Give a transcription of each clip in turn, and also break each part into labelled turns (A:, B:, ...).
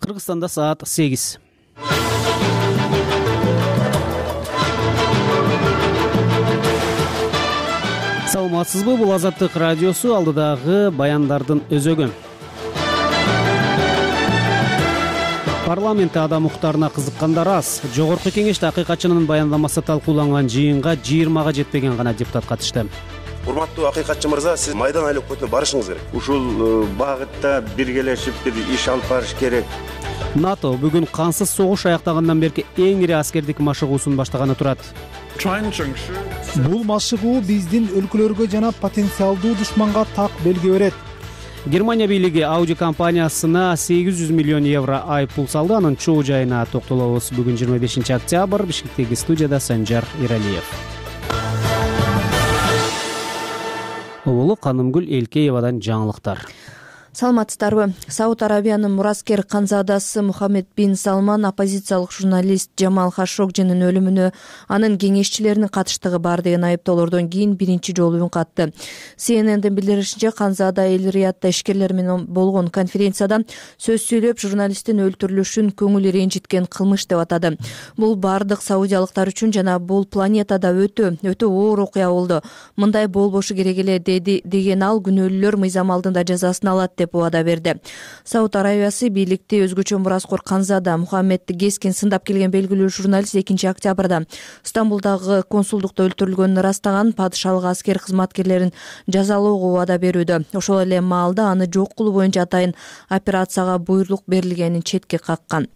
A: Кыргызстанда саат 8. Саламатсызбы? Бул Азаттык радиосу, алдыдагы баяндардын өзөгү. Парламентте адам укуктарына кызыккандар аз. Жогорку кеңеште акыйкатчынын баяндамасы талкууланган жыйынга 20га жетпеген гана депутат катышты.
B: Урматтуу акыйкатчы мырза, сиз Майдан айлык өкмөтүнө барышыңыз керек.
C: Ушул багытта биргелешип бир иш алып барыш керек.
A: НАТО бүгүн кансыз согуш аяктагандан берки эң ири аскердик машыгуусун баштаганы турат.
D: Бул машыгуу биздин өлкөлөргө жана потенциалдуу душманга так белги берет.
A: Германия бийлиги Audi компаниясына 800 миллион евро айыппул салды. Анын чоо жайына токтолобуз. Бүгүн 25 октябрь. Бишкектеги студияда Санжар Иралиев. Улуу Канымгүл Элкеевадан жаңылыктар.
E: Саламатсыздарбы? Сауд Арабиянын мураскер канзадасы Мухаммед бин Салман оппозициялык журналист Джамал Хашогжинин өлүмүнө анын кеңешчилеринин катыштыгы бар деген айыптоолордон кийин биринчи жолу үн катты. CNN'дин билдиришинче, Канзада Эл-Риядда ишкерлер менен болгон конференцияда сөз сүйлөп, журналисттин өлтүрүлүшүн көңүл ренжиткен кылмыш деп атады. Бул бардык саудиялыктар үчүн жана бул планетада өтө оор окуя болду. Мындай болбошу керек эле деген ал, күнөөлүүлөр мыйзам алдында жазасын алат деп убада берди. Сауд Арабиясы бийликти өзгөчө мураскор Канзада Мухаммедди кескин сындап келген белгилүү журналист 2 октябрда Стамбулдагы консулдукта өлтүрүлгөнүн ырастаган, падышалык аскер кызматкерлерин жазалоого убада берүүдө. Ошол эле маалда аны жок кылуу боюнча атайын операцияга буйрук берилгенин четке каккан.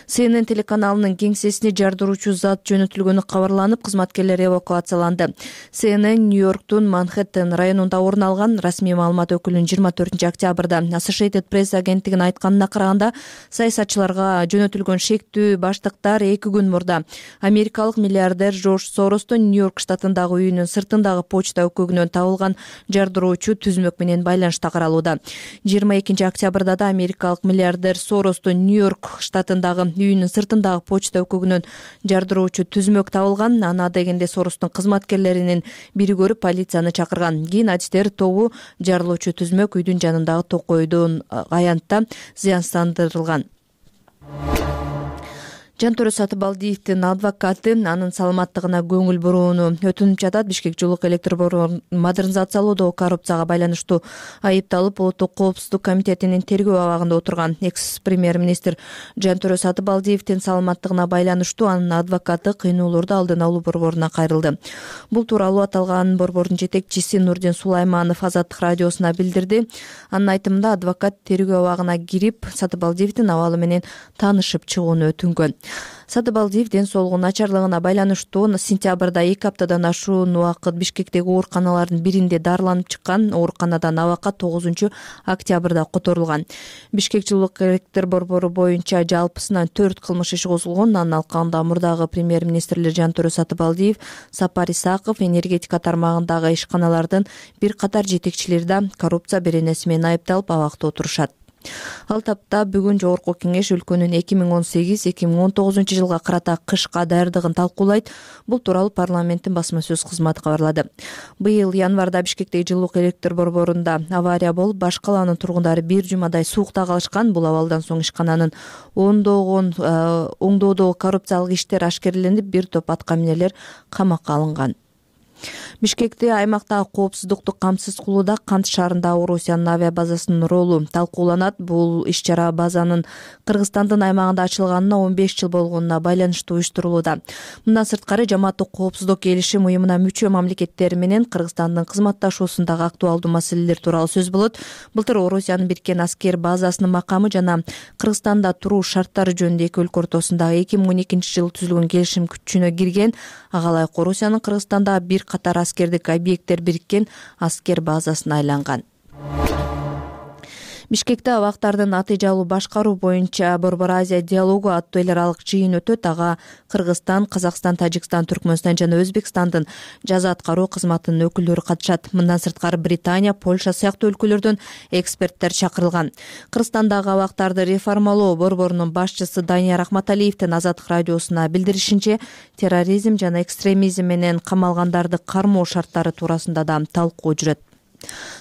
E: CNN телеканалынын кеңсесине жардыруучу зат жөнөтүлгөнү кабарланып, кызматкерлер эвакуацияланды. CNN Нью-Йорктун Манхэттен районунда орун алган. Расмий маалымат өкүлүнүн 24 октябрда Associated Press агенттигин айтканына караганда, саясатчыларга жөнөтүлгөн шектүү баштыктар 2 күн мурда америкалык миллиардер Жорж Соростун Нью-Йорк штатындагы үйүнүн сыртындагы почта өкөгүнөн табылган жардыруучу түзмөк менен байланышта каралууда. 22 октябрда да америкалык миллиардер Соростун Нью-Йорк штатындагы үйүнүн сыртындагы почта өкөгүнөн жардыруучу түзмөк табылган. Аны адегенде Соростун кызматкерлеринин бири көрүп, полицияны чакырган. Кийин адистер тобу жарылуучу түзмөк үйдүн жанындагы токойдун аянтта зыянсыздандырылган. Жантөрө Сатыбалдиевдин адвокаты анын саламаттыгына көңүл бурууну өтүнүп жатат. Бишкек жылук электр борборун модернизациялоодо коррупцияга байланыштуу айыпталып, Улуттук коопсуздук комитетинин тергөө абагында отурган экс-премьер-министр Жантөрө Сатыбалдиевдин саламаттыгына байланыштуу анын адвокаты кыйноолорду алдын алуу борборуна кайрылды. Бул тууралуу аталган борбордун жетекчиси Нурдин Сулайманов Азаттык радиосуна билдирди. Анын айтымында, адвокат тергөө абагына кирип, Сатыбалдиевдин абалы менен таанышып чыгууну өтүнгөн. Сатыбалдиев ден соолугу начарлыгына байланыштуу сентябрда 2 аптадан ашуун убакыт Бишкектеги ооруканалардын биринде дарыланып чыккан. Ооруканадан абакка 9 октябрда которулган. Бишкек жылук электр борбору боюнча жалпысынан 4 кылмыш иши козулгон. Анын алкагында мурдагы премьер-министрлер Жантөрө Сатыбалдиев, Сапар Исаков, энергетика тармагындагы ишканалардын бир катар жетекчилери да коррупция беренеси менен айыпталып абакта отурушат. Ал тапта бүгүн жогорку кеңеш өлкөнүн 2018-2019 жылга карата кышка даярдыгын талкуулайт. Бул тууралуу парламенттин басма сөз кызматы кабарлады. Быйыл январда Бишкектеги жылук электр борборунда авария болуп, баш калаанын тургундары бир жумадай суукта калышкан. Бул абалдан соң ишкананын оңдоодогу коррупциялык иштер ашкереленип, бир топ аткаминерлер камакка алынган. Бишкекте аймактагы коопсуздукту камсыз кылууда Кант шаарындагы Орусиянын авиабазасынын ролу талкууланат. Бул иш-чара базанын Кыргызстандын аймагында ачылганына 15 жыл болгонуна байланыштуу уюштурулууда. Мындан сырткары, жамааттык коопсуздук келишим уюмуна мүчө мамлекеттер менен Кыргызстандын кызматташуусундагы актуалдуу маселелер тууралуу сөз болот. Былтыр Орусиянын бириккен аскер базасынын макамы жана Кыргызстанда туруу шарттары жөнүндө эки өлкө ортосундагы 2012 жылы түзүлгөн келишим күчүнө кирген. Ага ылайык Орусиянын Кыргызстандагы бир катар аскердик объекттер бириккен аскер базасына айланган. Бишкекте абактардын натыйжалуу башкаруу боюнча Борбор Азия диалогу аттуу эл аралык жыйын өтөт. Ага Кыргызстан, Казакстан, Тажикстан, Түркмөнстан жана Өзбекстандын жаза аткаруу кызматынын өкүлдөрү катышат. Мындан сырткары Британия, Польша сыяктуу өлкөлөрдөн эксперттер чакырылган. Кыргызстандагы абактарды реформалоо борборунун башчысы Данияр Ахматалиевдин Азаттык радиосуна билдиришинче, терроризм жана экстремизм менен камалгандарды кармоо шарттары туурасында да талкуу жүрөт.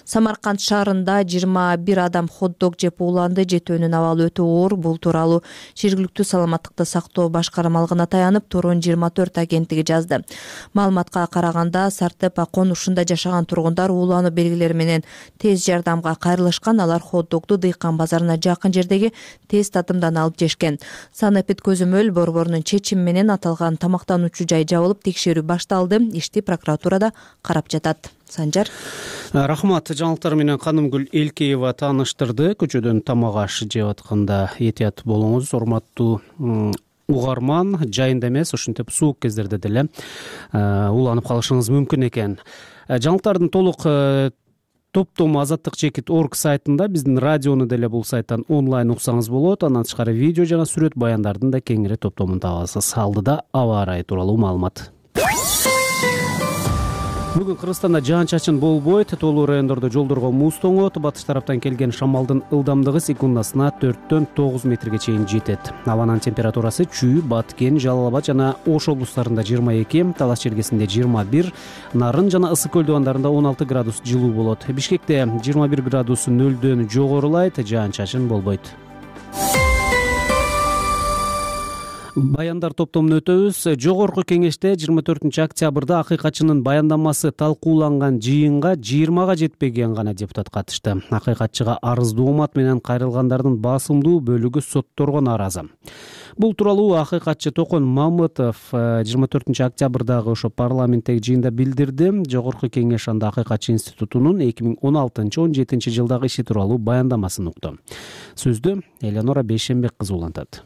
E: Самарканд шаарында 21 адам хот-дог жеп ууланды. Жетөөнүн абалы өтө оор. Бул тууралуу жергиликтүү саламаттыкты сактоо башкармалыгына таянып, Турун 24 агенттиги жазды. Маалыматка караганда, Сартепа конушунда жашаган тургундар уулануу белгилери менен тез жардамга кайрылышкан. Алар хот-догду Дыйкан базарына жакын жердеги тез татымдан алып жешкен. Санэпид көзөмөл борборунун чечими менен аталган тамактануучу жай жабылып, текшерүү башталды. Ишти прокуратурада карап жатат. Санжар.
A: Рахмат. Жаңылыктар менен Канымгүл Элкеева тааныштырды. Көчөдөн тамак аш жеп атканда этият болуңуз. Урматтуу угарман, жайында эмес, ушинтип суук кездерде деле ууланып калышыңыз мүмкүн экен. Жаңылыктардын толук топтому azatlyk.org сайтында, биздин радиону деле бул сайттан онлайн уксаңыз болот. Андан тышкары видео жана сүрөт баяндардын да кеңири топтомун табасыз. Алдыда аба ырайы тууралуу маалымат. Бүгүн Кыргызстанда жаан-чачын болбойт. Тоолуу райондордо жолдорго муз тоңот. Батыш тараптан келген шамалдын ылдамдыгы секундасына 4-төн 9 метрге чейин жетет. Абанын температурасы Чүй, Баткен, Жалал Абад жана Ош облустарында 22, Талас чергесинде 21, Нарын жана Ысык көл дубандарында 16 градус жылуу болот. Бишкекте 21 градус 0-дөн жогорулайт, жаан-чачын болбойт. Баяндар топтомун өтөбүз. Жогорку кеңеште 24 октябрда акыйкатчынын баяндамасы талкууланган жыйынга 20га жетпеген гана депутат катышты. Акыйкатчыга арыздуу умат менен кайрылгандардын басымдуу бөлүгү сотторго нааразы. Бул тууралуу акыйкатчы Токон Мамытов 24 октябрдагы ошо парламенттеги жыйында билдирди. Жогорку кеңеш анда акыйкатчы институтунун 2016-17 жылдагы иши тууралуу баяндамасын укту. Сөздү Элеонора Бейшенбек кызы улантат.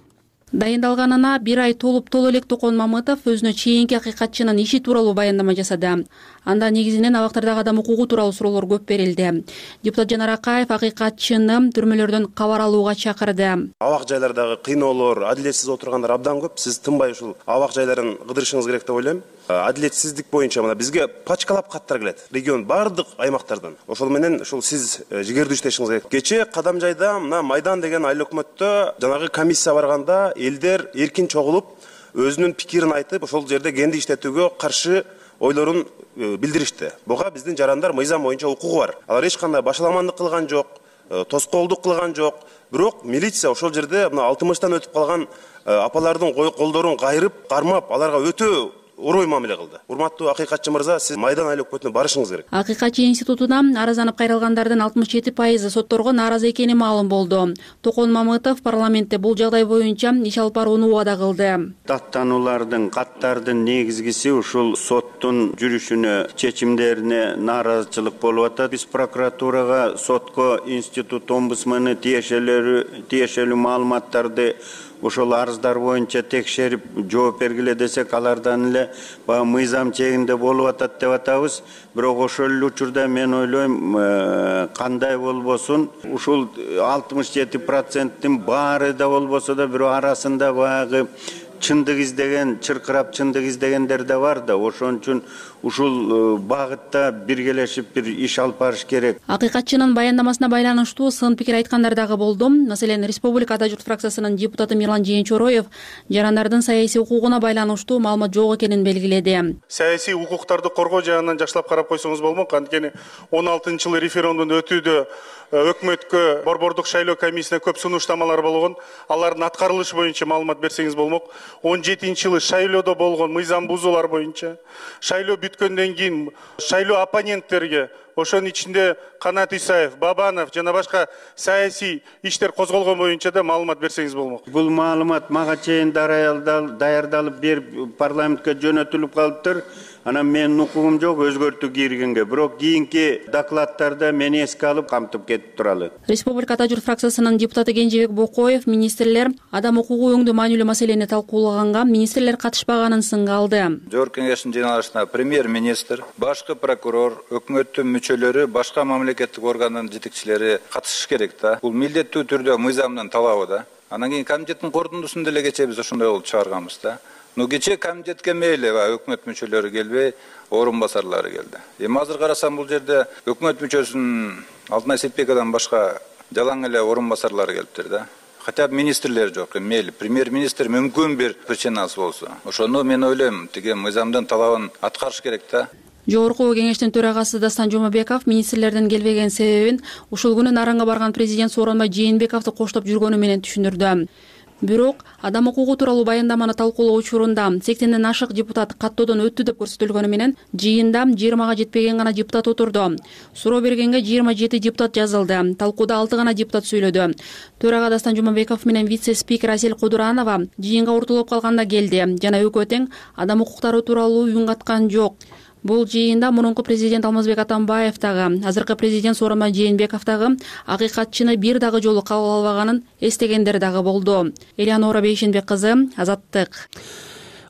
F: Дайындалганына 1 ай толуп элек Токон Мамытов өзүнө чейинки акыйкатчынын иши тууралуу баяндама жасады. Анда негизинен абактардагы адам укугу тууралуу суроолор көп берилди. Депутат Жанар Акаев акыйкатчыны түрмөлөрдөн кабар алууга чакырды.
B: Абак жайлардагы кыйноолор, адилетсиз отургандар абдан көп. Сиз тынбай ушул абак жайларын кыдырышыңыз керек деп ойлойм. Адилетсиздик боюнча мына бизге пачкалап каттар келет. Регион бардык аймактардан. Ошол менен ушул сиз жигердүү иштешиңиз керек. Кечээ Кадамжайда мына Майдан деген айыл өкмөттө жанагы комиссия барганда элдер эркин чогулуп, өзүнүн пикирин айтып, ошол жерде кенди иштетүүгө каршы ойлорун билдиришти. Буга биздин жарандар мыйзам боюнча укугу бар. Алар эч кандай башаламандык кылган жок, тоскоолдук кылган жок. Бирок милиция ошол жерде мына 60-тан өтүп калган апалардын колдорун кайрып, кармап, аларга өтө орой мамиле кылды. Урматтуу акыйкатчы мырза, сиз Майдан айыл өкмөтүнө барышыңыз керек.
F: Акыйкатчы институтуна арызданып кайрылгандардын 67% сотторго нааразы экени маалым болду. Токон Мамытов парламентте бул жагдай боюнча иш алып барууну убада кылды.
C: Даттануулардын, каттардын негизгиси ушул соттун жүрүшүнө, чечимдерине нааразычылык болуп атат. Биз прокуратурага, сотко, институт омбудсмени тиешелүү маалыматтарды ошол арыздар боюнча текшерип жооп бергиле десек, алардан эле баягы мыйзам чегинде болуп атат деп атабыз. Бирок ошол эле учурда мен ойлойм, кандай болбосун, ушул 67%-тин баары да болбосо да бирок арасында баягы чындык издеген, чыркырап чындык издегендер да бар да. Ошон үчүн ушул багытта биргелешип бир иш алып барыш керек.
F: Акыйкатчынын баяндамасына байланыштуу сын пикир айткандар дагы болду. Маселен, Республика Ата журт фракциясынын депутаты Мирлан Жээнчороев жарандардын саясий укугуна байланыштуу маалымат жок экенин белгиледи.
G: Саясий укуктарды коргоо жагынан жакшылап карап койсоңуз болмок. Анткени 16-жылы референдумдун өтүүдө өкмөткө борбордук шайлоо комиссиясына көп сунуштамалар болгон. Алардын аткарылышы боюнча маалымат берсеңиз болмок. 17-жылы шайлоодо болгон мыйзам бузуулар боюнча, шайлоо бүткөндөн кийин шайлоо оппоненттерге, ошонун ичинде Канат Исаев, Бабанов жана башка саясий иштер козголгон боюнча да маалымат берсеңиз болмок.
C: Бул маалымат мага чейин даярдалып берип парламентке жөнөтүлүп калыптыр. Анан менин укугум жок өзгөртүү киргенге, бирок кийинки докладтарда мени эске алып камтып кетип туралы.
F: Республика Ата журт фракциясынын депутаты Кенжебек Бокоев министрлер адам укугу өңдүү маанилүү маселени талкуулаганга министрлер катышпаганын сынга алды.
H: Жогорку кеңештин жыйналышына премьер-министр, башкы прокурор, өкмөттүн мүчөлөрү, башка мамлекеттик органдын жетекчилери катышыш керек да. Бул милдеттүү түрдө мыйзамдын талабы да. Анан кийин комитеттин корутундусунда эле кечээ биз ошондой болуп чыгарганбыз да. Кечээ комитетке мейли өкмөт мүчөлөрү келбей, орун басарлары келди. Эми азыр карасам бул жерде өкмөт мүчөсүнүн Алтынай Сетбековдон башка жалаң эле орун басарлары келиптир да. Хотя министрлер жок, мейли премьер-министр мүмкүн бир причинасы болсо. Ошону мен ойлойм, тиги мыйзамдын талабын аткарыш керек да.
F: Жогорку кеңештин төрагасы Дастан Жумабеков министрлердин келбеген себебин ушул күнү Наранга барган президент Сооронбай Жээнбековду коштоп жүргөнү менен түшүндүрдү. Бирок адам укугу тууралуу баяндаманы талкуулоо учурунда 80ден ашык депутат каттоодон өттү деп көрсөтүлгөнү менен жыйында 20га жетпеген гана депутат отурду. Суроо бергенге 27 депутат жазылды. Талкууда 6 гана депутат сүйлөдү. Төрага Дастан Жумабеков менен вице-спикер Асель Кудуранова жыйынга уртулуп калганда келди жана экөө тең адам укуктары тууралуу үн каткан жок. Бул жыйында мурунку президент Алмазбек Атамбаев дагы, азыркы президент Сооронбай Жээнбеков дагы акыйкатчыны бир дагы жолу кабыл албаганын эстегендер дагы болду. Элеонора Бейшенбек кызы, Азаттык.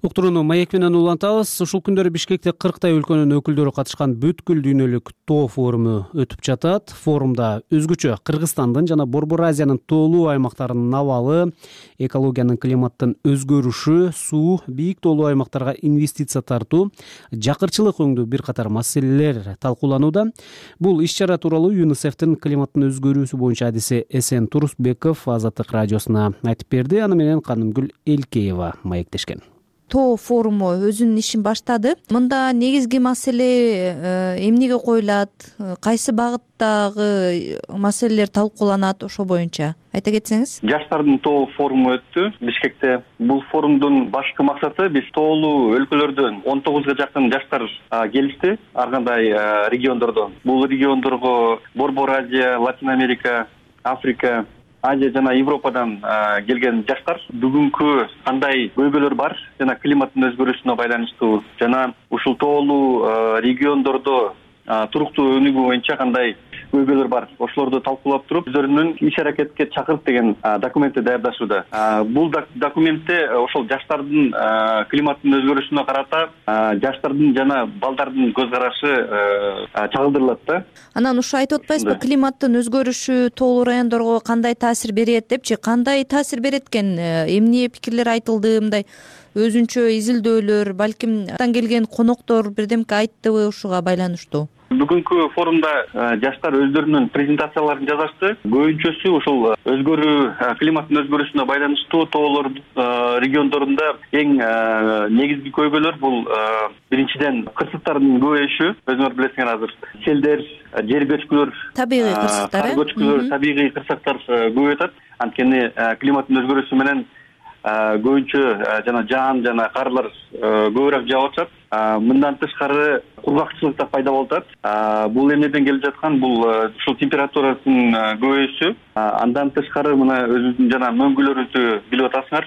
A: Уктурууну маек менен улантабыз. Ушул күндөрү Бишкекте 40 өлкөнүн өкүлдөрү катышкан бүткүл дүйнөлүк тоо форуму өтүп жатат. Форумда өзгөчө Кыргызстандын жана Борбор Азиянын тоолуу аймактарынын абалы, экологиянын, климаттын өзгөрүшү, суу, бийик тоолуу аймактарга инвестиция тартуу, жакырчылык өңдүү бир катар маселелер талкууланууда. Бул иш-чара тууралуу ЮНИСЕФтин климаттын өзгөрүүсү боюнча адиси Эсен Турусбеков Азаттык радиосуна айтып берди. Аны менен Канымгүл Элкеева маектешкен.
E: Тоо форуму өзүнүн ишин баштады. Мында негизги маселе эмнеге коюлат, кайсы багыттагы маселелер талкууланат, ошо боюнча айта кетсеңиз.
I: Жаштардын тоо форуму өттү Бишкекте. Бул форумдун башкы максаты биз тоолуу өлкөлөрдөн 19га жакын жаштар келишти, ар кандай региондордон. Бул региондорго Борбор Азия, Латин Америка, Африка, Азия жана Европадан келген жаштар бүгүнкү кандай көйгөйлөр бар жана климаттын өзгөрүшүнө байланыштуу жана ушул тоолуу региондордо туруктуу өнүгүү боюнча кандай көйгөйлөр бар, ошолорду талкуулап туруп өздөрүнүн иш-аракетке чакырып деген документти даярдашууда. Бул документте ошол жаштардын климаттын өзгөрүшүнө карата жаштардын жана балдардын көз карашы чагылдырылат да.
E: Анан ушу айтып атпайсызбы, климаттын өзгөрүшү тоолуу райондорго кандай таасир берет депчи? Кандай таасир берет экен? Эмне пикирлер айтылды? Мындай өзүнчө изилдөөлөр, балким келген коноктор бирдемке айттыбы ушуга байланыштуу?
I: Бүгүнкү форумда жаштар өздөрүнүн презентацияларын жазышты. Көбүнчөсү ушул климаттын өзгөрүшүнө байланыштуу тоолор региондорунда эң негизги көйгөйлөр бул биринчиден кырсыктардын көбөйүшү. Өзүңөр билесиңер азыр селдер, жер көчкүлөр,
E: табигый кырсыктар,
I: табигый кырсыктар көбөйүп атат. Анткени климаттын өзгөрүшү менен көбүнчө жаан жана карлар көбүрөөк жаап атат. Мындан тышкары кургакчылык да пайда болуп атат. Бул эмнеден келип жаткан? Бул ушул температуранын көбөйүшү. Андан тышкары мына өзүбүздүн жана мөңгүлөрүбүздү билип атасыңар,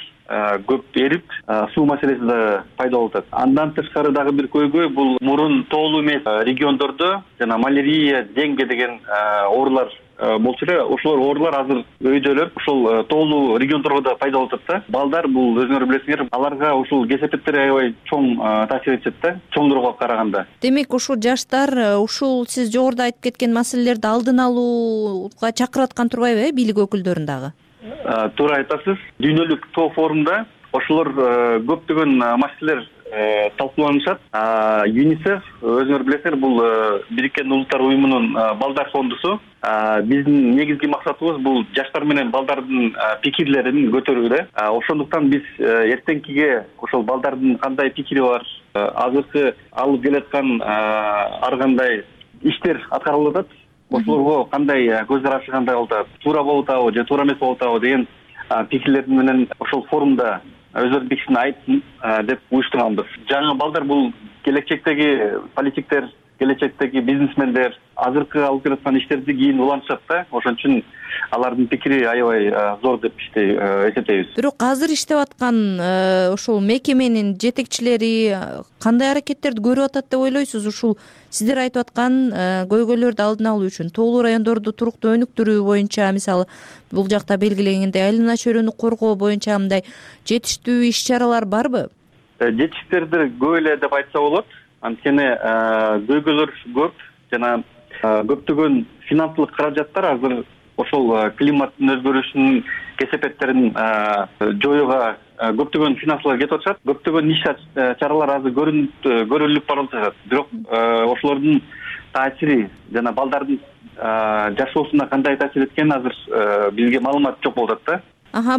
I: көп эрип, суу маселеси да пайда болуп атат. Андан тышкары дагы бир көйгөй бул мурун тоолуу эмес региондордо жана малярия, денге деген оорулар болчу эле. Ошолор оорулар азыр өйдөлөп, ушул тоолуу региондорго да пайда болуп атат да. Балдар бул өзүңөр билесиңер, аларга ушул кесепеттер аябай чоң таасир этет да, чоңдорго караганда.
E: Демек ушул жаштар ушул сиз жогоруда айтып кеткен маселелерди алдын алууга чакырып аткан турбайбы, бийлик өкүлдөрүн дагы?
I: Туура айтасыз. Дүйнөлүк тоо форумда ошолор көптөгөн маселелер талкууланышат. ЮНИСЕФ, өзүңөр билесиңер, бул Бириккен Улуттар уюмунун балдар фондусу. Биздин негизги максатыбыз бул жаштар менен балдардын пикирлерин көтөрүү да. Ошондуктан биз эртеңкиге ошол балдардын кандай пикири бар, азыркы алып келаткан ар кандай иштер аткарылып атат, ошолорго кандай көз карашы кандай болуп атат, туура болуп атабы же туура эмес болуп атабы деген пикирлерин менен ошол форумда өздөрүнүн пикирин айтсын деп уюштурганбыз. Жаңы балдар бул келечектеги политиктер, келечектеги бизнесмендер, азыркы алып келаткан иштерди кийин улантышат да. Ошон үчүн алардын пикири аябай зор деп эсептейбиз.
E: Бирок азыр иштеп аткан ошол мекеменин жетекчилери кандай аракеттерди көрүп атат деп ойлойсуз? Ушул сиздер айтып аткан көйгөйлөрдү алдын алуу үчүн тоолуу райондорду туруктуу өнүктүрүү боюнча, мисалы бул жакта белгиленгендей айлана чөйрөнү коргоо боюнча мындай жетиштүү иш-чаралар барбы?
I: Жетиштирди көп эле деп айтса болот. Анткени көйгөйлөр көп жана көптөгөн финансылык каражаттар азыр ошол климаттын өзгөрүшүнүн кесепеттерин жоюуга көптөгөн финансылар кетип атышат. Көптөгөн иш-чаралар азыр көрүлүп барып жатат. Бирок ошолордун таасири жана балдардын жашоосуна кандай таасир эткени азыр бизге маалымат жок болуп атат да.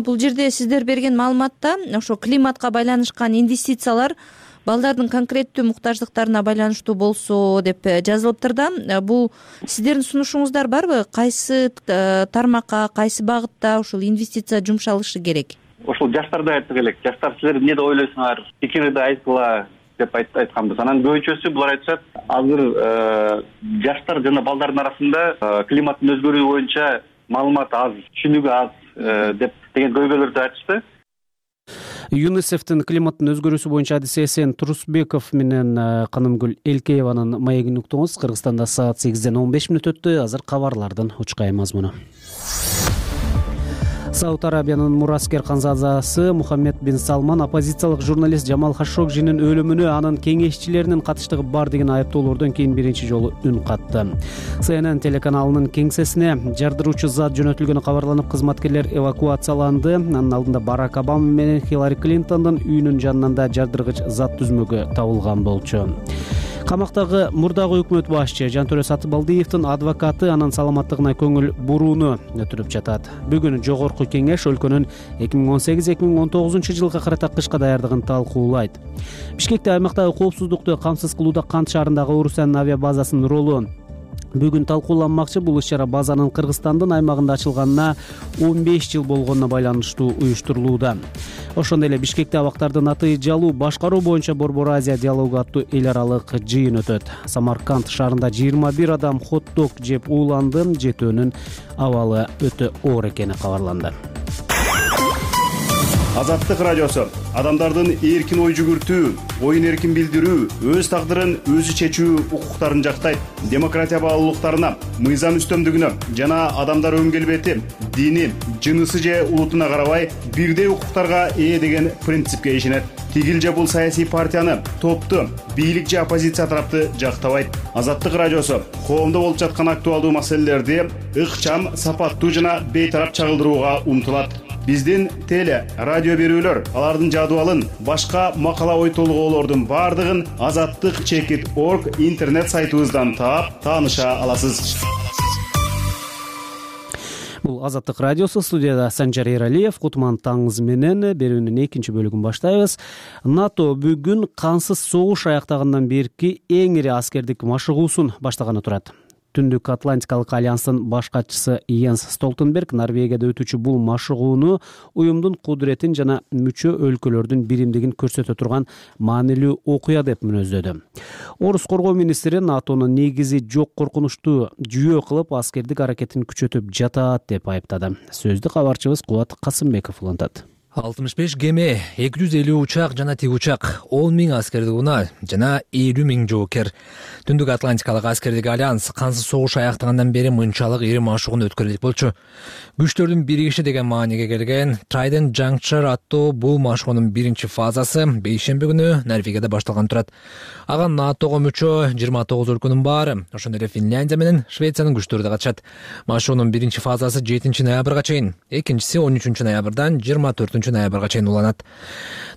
E: Бул жерде сиздер берген маалыматта ошо климатка байланышкан инвестициялар балдардын конкреттүү муктаждыктарына байланыштуу болсо деп жазылыптыр да. Бул сиздердин сунушуңуздар барбы? Кайсы тармакка, кайсы багытта ушул инвестиция жумшалышы керек?
I: Ошол жаштарды айтсак элек. Жаштар силер эмне деп ойлойсуңар? Пикириңди айткыла деп айтканбыз. Анан көбүнчөсү булар айтышат, азыр жаштар жана балдардын арасында климаттын өзгөрүүсү боюнча маалымат аз, түшүнүгү аз деп деген көйгөйлөрдү айтышты.
A: ЮНИСЕФтин климаттын өзгөрүүсү боюнча адиси Эсен Турусбеков менен Канымгүл Элкееванын маегин уктуңуз. Кыргызстанда саат 8:15 өттү. Азыр кабарлардын учкай мазмуну. Сауд Арабиянын мураскер канзадасы Мухаммед бин Салман оппозициялык журналист Жамал Хашогжинин өлүмүнө анын кеңешчилеринин катыштыгы бар деген айыптоолордон кийин биринчи жолу үн катты. CNN телеканалынын кеңсесине жардыруучу зат жөнөтүлгөнү кабарланып, кызматкерлер эвакуацияланды. Анын алдында Барак Обама менен Хиллари Клинтондун үйүнүн жанынан да жардыргыч зат түзмөгү табылган болчу. Камактагы мурдагы өкмөт башчы Жантөрө Сатыбалдиевдин адвокаты анын саламаттыгына көңүл бурууну өтүрүп жатат. Бүгүн жогорку кеңеш өлкөнүн 2018-2019 жылга карата кышка даярдыгын талкуулайт. Бишкекте аймактагы коопсуздукту камсыз кылууда Кант шаарындагы Орусиянын авиабазасынын ролу бүгүн талкууланмакчы. Бул иш-чара базанын Кыргызстандын аймагында ачылганына 15 жыл болгонуна байланыштуу уюштурулууда. Ошондой эле Бишкекте абактардын аты жалуу башкаруу боюнча Борбор Азия диалогу аттуу эл аралык жыйын өтөт. Самарканд шаарында 21 адам хот-дог жеп ууланды. Жетөөнүн абалы өтө оор экени кабарланды.
J: Азаттык радиосу адамдардын эркин ой жүгүртүү, оюн эркин билдирүү, өз тагдырын өзү чечүү укуктарын жактайт. Демократия баалуулуктарына, мыйзам үстөмдүгүнө жана адамдар өн келбети, дини, жынысы же улутуна карабай бирдей укуктарга ээ деген принципке ишенет. Тигил же бул саясий партияны, топту, бийлик же оппозиция тарапты жактабайт. Азаттык радиосу коомдо болуп жаткан актуалдуу маселелерди ыкчам, сапаттуу жана бейтарап чагылдырууга умтулат. Биздин теле, радио берүүлөр, алардын жадыбалын, башка макала ой толгоолордун бардыгын azattyk.org интернет сайтыбыздан таап, тааныша аласыз.
A: Бул Азаттык радиосу, студияда Санжар Эралиев. Кутман таңыңыз менен берүүнүн экинчи бөлүгүн баштайбыз. НАТО бүгүн кансыз согуш аяктагандан берки эң ири аскердик машыгуусун баштаганы турат. Түндүк Атлантикалык альянстын баш катчысы Йенс Столтенберг Норвегияда өтүүчү бул машыгууну уюмдун кудуретин жана мүчө өлкөлөрдүн биримдигин көрсөтө турган маанилүү окуя деп мүнөздөдү. Орус коргоо министри НАТОнун негизи жок коркунучту жүйө кылып аскердик аракетин күчөтүп жатат деп айыптады. Сөздү кабарчыбыз Кубат Касымбеков улантат.
K: 65 кеме, 250 учак жана тик учак, 10 000 аскердик унаа жана 50 000 жоокер. Түндүк Атлантикалык аскердик альянс кансыз согуш аяктагандан бери мынчалык ири машыгууну өткөрөлүк болчу. Күчтөрдүн биригиши деген мааниге келген Trident Juncture аттуу бул машыгуунун биринчи фазасы бейшемби күнү Норвегияда башталган турат. Ага НАТОго мүчө 29 өлкөнүн баары, ошондой эле Финляндия менен Швециянын күчтөрү да катышат. Машыгуунун биринчи фазасы 7 ноябрга чейин, экинчиси 13 ноябрдан 24 ноябрга чейин уланат.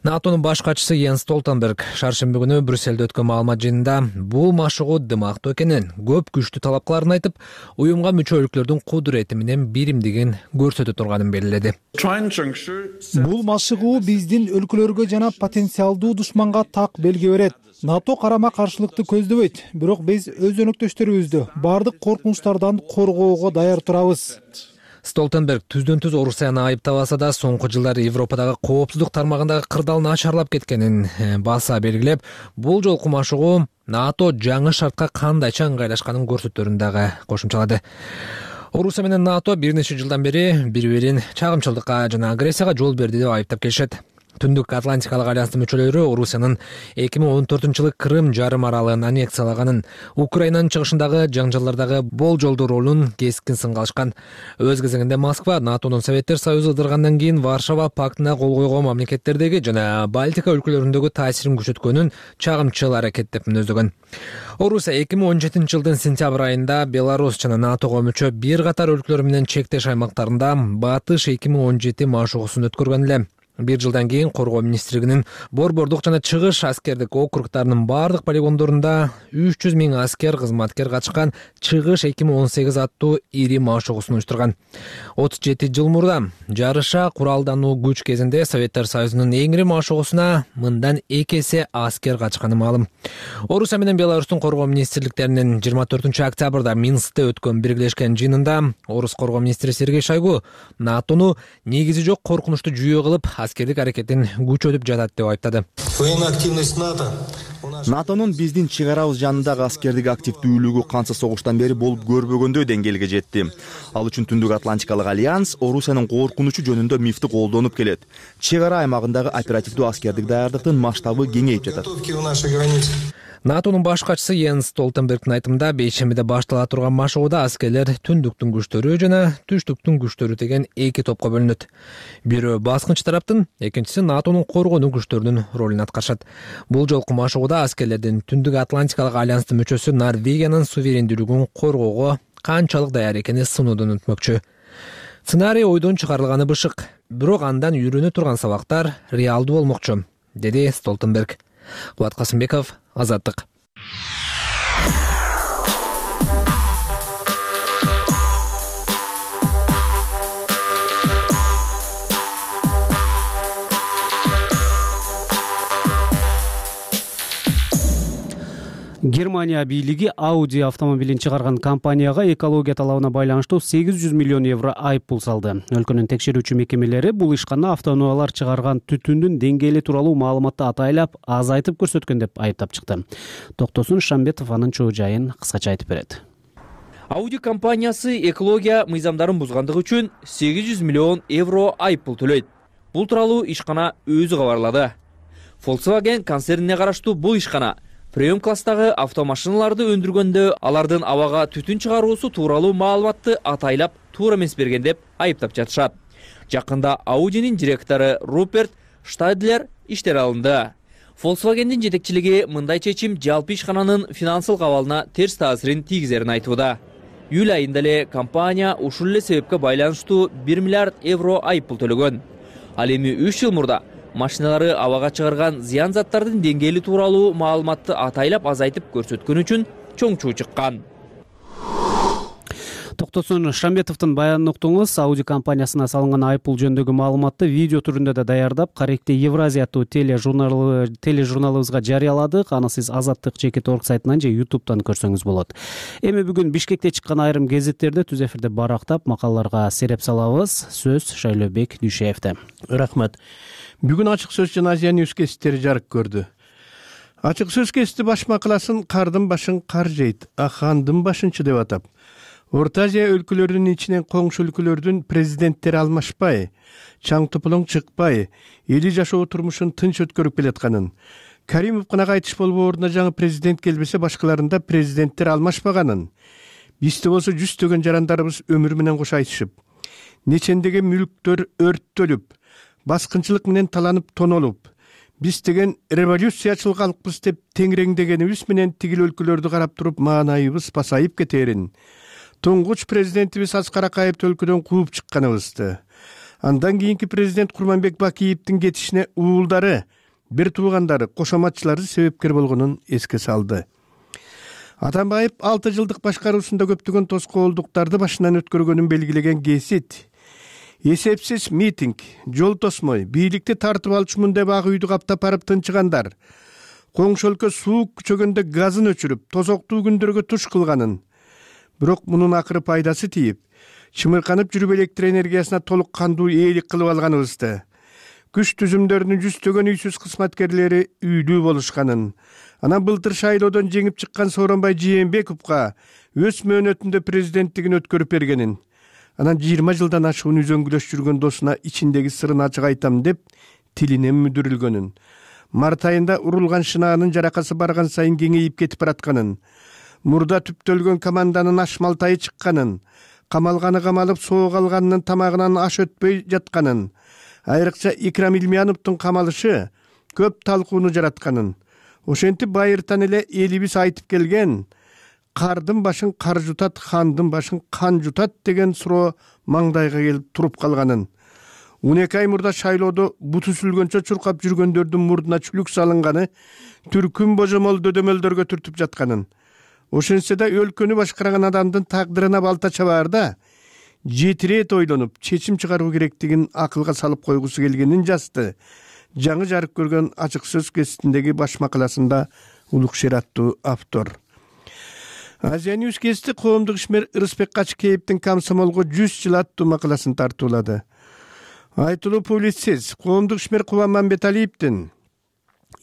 K: НАТОнун баш катчысы Йенс Столтенберг шаршемби күнү Брюссельде өткөн маалымат жыйынында бул машыгуу дымактуу экенин, көп күчтүү талап кыларын айтып, уюмга мүчө өлкөлөрдүн кудурети менен биримдигин көрсөтө турганын белгиледи.
D: Бул машыгуу биздин өлкөлөргө жана потенциалдуу душманга так белги берет. НАТО карама каршылыкты көздөбөйт, бирок биз өз өнөктөштөрүбүздү бардык коркунучтардан коргоого даяр турабыз.
K: Столтенберг түздөн-түз Орусияны айыптабаса да, соңку жылдары Европадагы коопсуздук тармагындагы кырдаал начарлап кеткенин баса белгилеп, бул жолку машыгуу НАТО жаңы шартка кандайча ыңгайлашканын көрсөтөрүн дагы кошумчалады. Орусия менен НАТО бир нече жылдан бери бири-бирин чагымчылдыкка жана агрессияга жол берди деп айыптап келишет. Түндүк Атлантикалык альянстын мүчөлөрү Орусиянын 2014-жылы Крым жарым аралын аннексиялаганын, Украинанын чыгышындагы жаңжаллардагы болжолдуу ролун кескин сынга алышкан. Өз кезегинде Москва НАТОнун Советтер Союзу ыдыргандан кийин Варшава пактына кол койгон мамлекеттердеги жана Балтика өлкөлөрүндөгү таасирин күчөткөнүн чагымчыл аракет деп мүнөздөгөн. Орусия 2017-жылдын сентябрь айында Беларусь жана НАТОго мүчө бир катар өлкөлөр менен чектеш аймактарында Батыш 2017 машыгуусун өткөргөн эле. 1 жылдан кийин коргоо министрлигинин борбордук жана чыгыш аскердик округдарынын бардык полигондорунда 300 000 аскер кызматкер катышкан чыгыш 2018 аттуу ири машыгуусун уюштурган. 37 жыл мурда жарыша куралдануу күч кезинде Советтер Союзунун эң ири машыгуусуна мындан 2 эсе аскер катышканы маалым. Орусия менен Беларустун коргоо министрликтеринин 24-октябрда Минскте өткөн биргелешкен жыйынында Орус коргоо министри Сергей Шойгу НАТОну негизи жок коркунучтуу жүйө кылып аскердик аракетин күчөтүп жатат деп айыптады.
L: НАТОнун биздин чек арабыз жанындагы аскердик активдүүлүгү канча согуштан бери болуп көрбөгөндөй деңгээлге жетти. Ал үчүн Түндүк Атлантикалык альянс Орусиянын коркунучу жөнүндө мифти колдонуп келет. Чек ара аймагындагы оперативдүү аскердик даярдыктын масштабы кеңейип жатат.
K: НАТОнун баш катчысы Йенс Столтенбергдин айтымында бейшембиде баштала турган машыгууда аскерлер түндүктүн күчтөрү жана түштүктүн күчтөрү деген 2 топко бөлүнөт. Бирөө баскынчы тараптын, экинчиси НАТОнун коргонуу күчтөрүнүн ролун аткарышат. Бул жолку машыгууда аскерлердин Түндүк Атлантикалык альянстын мүчөсү Норвегиянын суверендүүлүгүн коргоого канчалык даяр экени сынуудон өтмөкчү. Сценарий ойдон чыгарылганы бышык, бирок андан үйрөнө турган сабактар реалдуу болмокчу, деди Столтенберг. Кубат Касымбеков, Азаттык.
A: Германия бийлиги Audi автомобилин чыгарган компанияга экология талабына байланыштуу 800 миллион евро айыппул салды. Өлкөнүн текшерүүчү мекемелери бул ишкана автоунаалар чыгарган түтүндүн деңгээли тууралуу маалыматты атайлап азайтып көрсөткөн деп айыптап чыкты. Токтосун Шамбетов анын чоо жайын кыскача айтып берет.
M: Audi компаниясы экология мыйзамдарын бузгандыгы үчүн 800 миллион евро айыппул төлөйт. Бул тууралуу ишкана өзү кабарлады. Volkswagen концернине караштуу бул ишкана премиум класстагы автомашиналарды өндүргөндө алардын абага түтүн чыгаруусу тууралуу маалыматты атайлап туура эмес берген деп айыптап жатышат. Жакында Audi'нин директору Руперт Штайдлер иштен алынды. Volkswagen'дин жетекчилиги мындай чечим жалпы ишкананын финансылык абалына терс таасирин тийгизерин айтууда. Июль айында эле компания ушул эле себепке байланыштуу 1 миллиард евро айыппул төлөгөн. Ал эми 3 жыл мурда машиналары абага чыгарган зыян заттардын деңгээли тууралуу маалыматты атайлап азайтып көрсөткөн үчүн чоң чуу чыккан.
A: Токтосун Шамбетовдун баянын уктуңуз. Audi компаниясына салынган айыппул жөнүндөгү маалыматты видео түрүндө да даярдап, Каректе Евразия аттуу тележурналыбызга жарыяладык. Аны сиз Азаттык /org сайтынан же YouTube'дан көрсөңүз болот. Эми бүгүн Бишкекте чыккан айрым гезиттерде түз эфирде барактап макалаларга сереп салабыз. Сөз Шайлообек Дүйшеевде.
N: Рахмат. Бүгүн ачык сөз жана Азия Ньюс гезиттери жарык көрдү. Ачык сөз гезити баш макаласын кардын башын кар жейт, ахандын башынчы деп атап, Орто Азия өлкөлөрүнүн ичинен коңшу өлкөлөрдүн президенттери алмашпай, чаң тополоң чыкпай, эли жашоо турмушун тынч өткөрүп келатканын, Каримов кынага айтыш болуп ордуна жаңы президент келбесе башкаларында президенттер алмашпаганын, бизде болсо жүздөгөн жарандарыбыз өмүр менен кошо айтышып, нечендеген мүлктөр өрттөлүп, баскынчылык менен таланып тонолуп, биз деген революциячыл калкпыз деп теңиреңдегенибиз менен тигил өлкөлөрдү карап туруп маанайыбыз пасайып кетерин, туңгуч президентибиз Аскар Акаевди өлкөдөн кууп чыкканыбызды, андан кийинки президент Курманбек Бакиевдин кетишине уулдары, бир туугандары, кошоматчылары себепкер болгонун эске салды. Атамбаев 6 жылдык башкаруусунда көптөгөн тоскоолдуктарды башынан өткөргөнүн белгилеген гезит, эсепсиз митинг, жол тосмой, бийликти тартып алчумун деп ак үйдү каптап барып тынчыгандар, коңшу өлкө суук күчөгөндө газын өчүрүп, тозоктуу күндөргө туш кылганын, бирок мунун акыры пайдасы тийип, чымырканып жүрүп электр энергиясына толук кандуу ээлик кылып алганыбызды, күч түзүмдөрүнүн жүздөгөн үйсүз кызматкерлери үйлүү болушканын, анан былтыр шайлоодон жеңип чыккан Сооронбай Жээнбековго өз мөөнөтүндө президенттигин өткөрүп бергенин, анан 20 жылдан ашуун үзөңгүлөш жүргөн досуна ичиндеги сырын ачык айтам деп тилинен мүдүрүлгөнүн, март айында урулган шынаанын жаракасы барган сайын кеңейип кетип баратканын, мурда түптөлгөн команданын аш малтайы чыкканын, камалганы камалып соок алганынын тамагынан аш өтпөй жатканын, айрыкча Икрам Илмияновдун камалышы көп талкууну жаратканын, ошентип байыртан эле элибиз айтып келген кардын башын кар жутат, хандын башын кан жутат деген суроо маңдайга келип туруп калганын, 12 ай мурда шайлоодо буту сүлгөнчө чуркап жүргөндөрдүн мурдуна чүлүк салынганы түркүм божомол дөдөмөлдөргө түртүп жатканын, ошентсе да өлкөнү башкарган адамдын тагдырына балта чабаарда 7 ирет ойлонуп чечим чыгаруу керектигин акылга салып койгусу келгенин жазды. Жаңы жарык көргөн ачык сөз гезитиндеги баш макаласында Улукшер аттуу автор. Азия Ньюс гезити коомдук ишмер Ырысбек Качкеевдин комсомолго 100 жыл аттуу макаласын тартуулады. Айтылуу публицист коомдук ишмер Кубан Мамбеталиевдин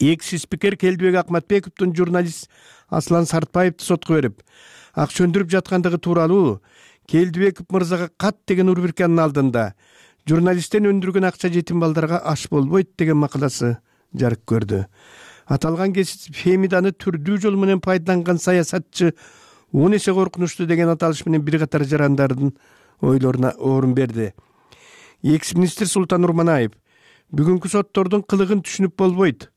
N: экс-спикер Келдибек Акматбековдун журналист Аслан Сартбаевди сотко берип, ак сөндүрүп жаткандыгы тууралуу Келдибеков мырзага кат деген урбирканын алдында журналисттен өндүргөн акча жетим балдарга аш болбойт деген макаласы жарык көрдү. Аталган гезит Фемиданы түрдүү жол менен пайдаланган саясатчы 10 эсе коркунучтуу деген аталыш менен бир катар жарандардын ойлоруна орун берди. Экс-министр Султан Урманаев бүгүнкү соттордун кылыгын түшүнүп болбойт.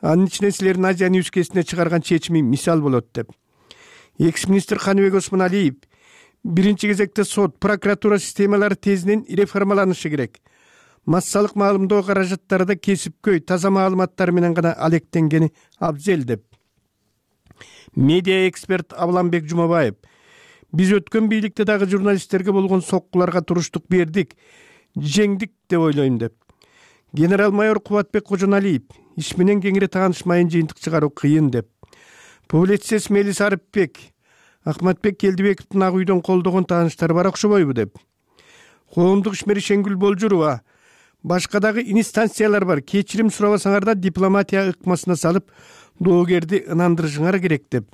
N: Анын ичинен силердин Азия Ньюс гезитине чыгарган чечими мисал болот деп. Экс-министр Каныбек Осмоналиев биринчи кезекте сот, прокуратура системалары тезинен реформаланышы керек. Массалык маалымдоо каражаттарда кесипкөй, таза маалыматтар менен гана алектенгени абзел деп. Медиа эксперт Абламбек Жумабаев биз өткөн бийликте дагы журналисттерге болгон соккуларга туруштук бердик, жеңдик деп ойлойм деп. Генерал-майор Кубатбек Кожоналиев иш менен кеңири таанышмайын жыйынтык чыгаруу кыйын деп. Публицист Мелис Арыпбек Акматбек Келдибековдун ак үйдөн колдогон тааныштары бар окшобойбу деп. Коомдук ишмер Шеңгүл Болжурова башка дагы инстанциялар бар, кечирим сурабасаңар да дипломатия ыкмасына салып доогерди ынандырышыңар керек деп.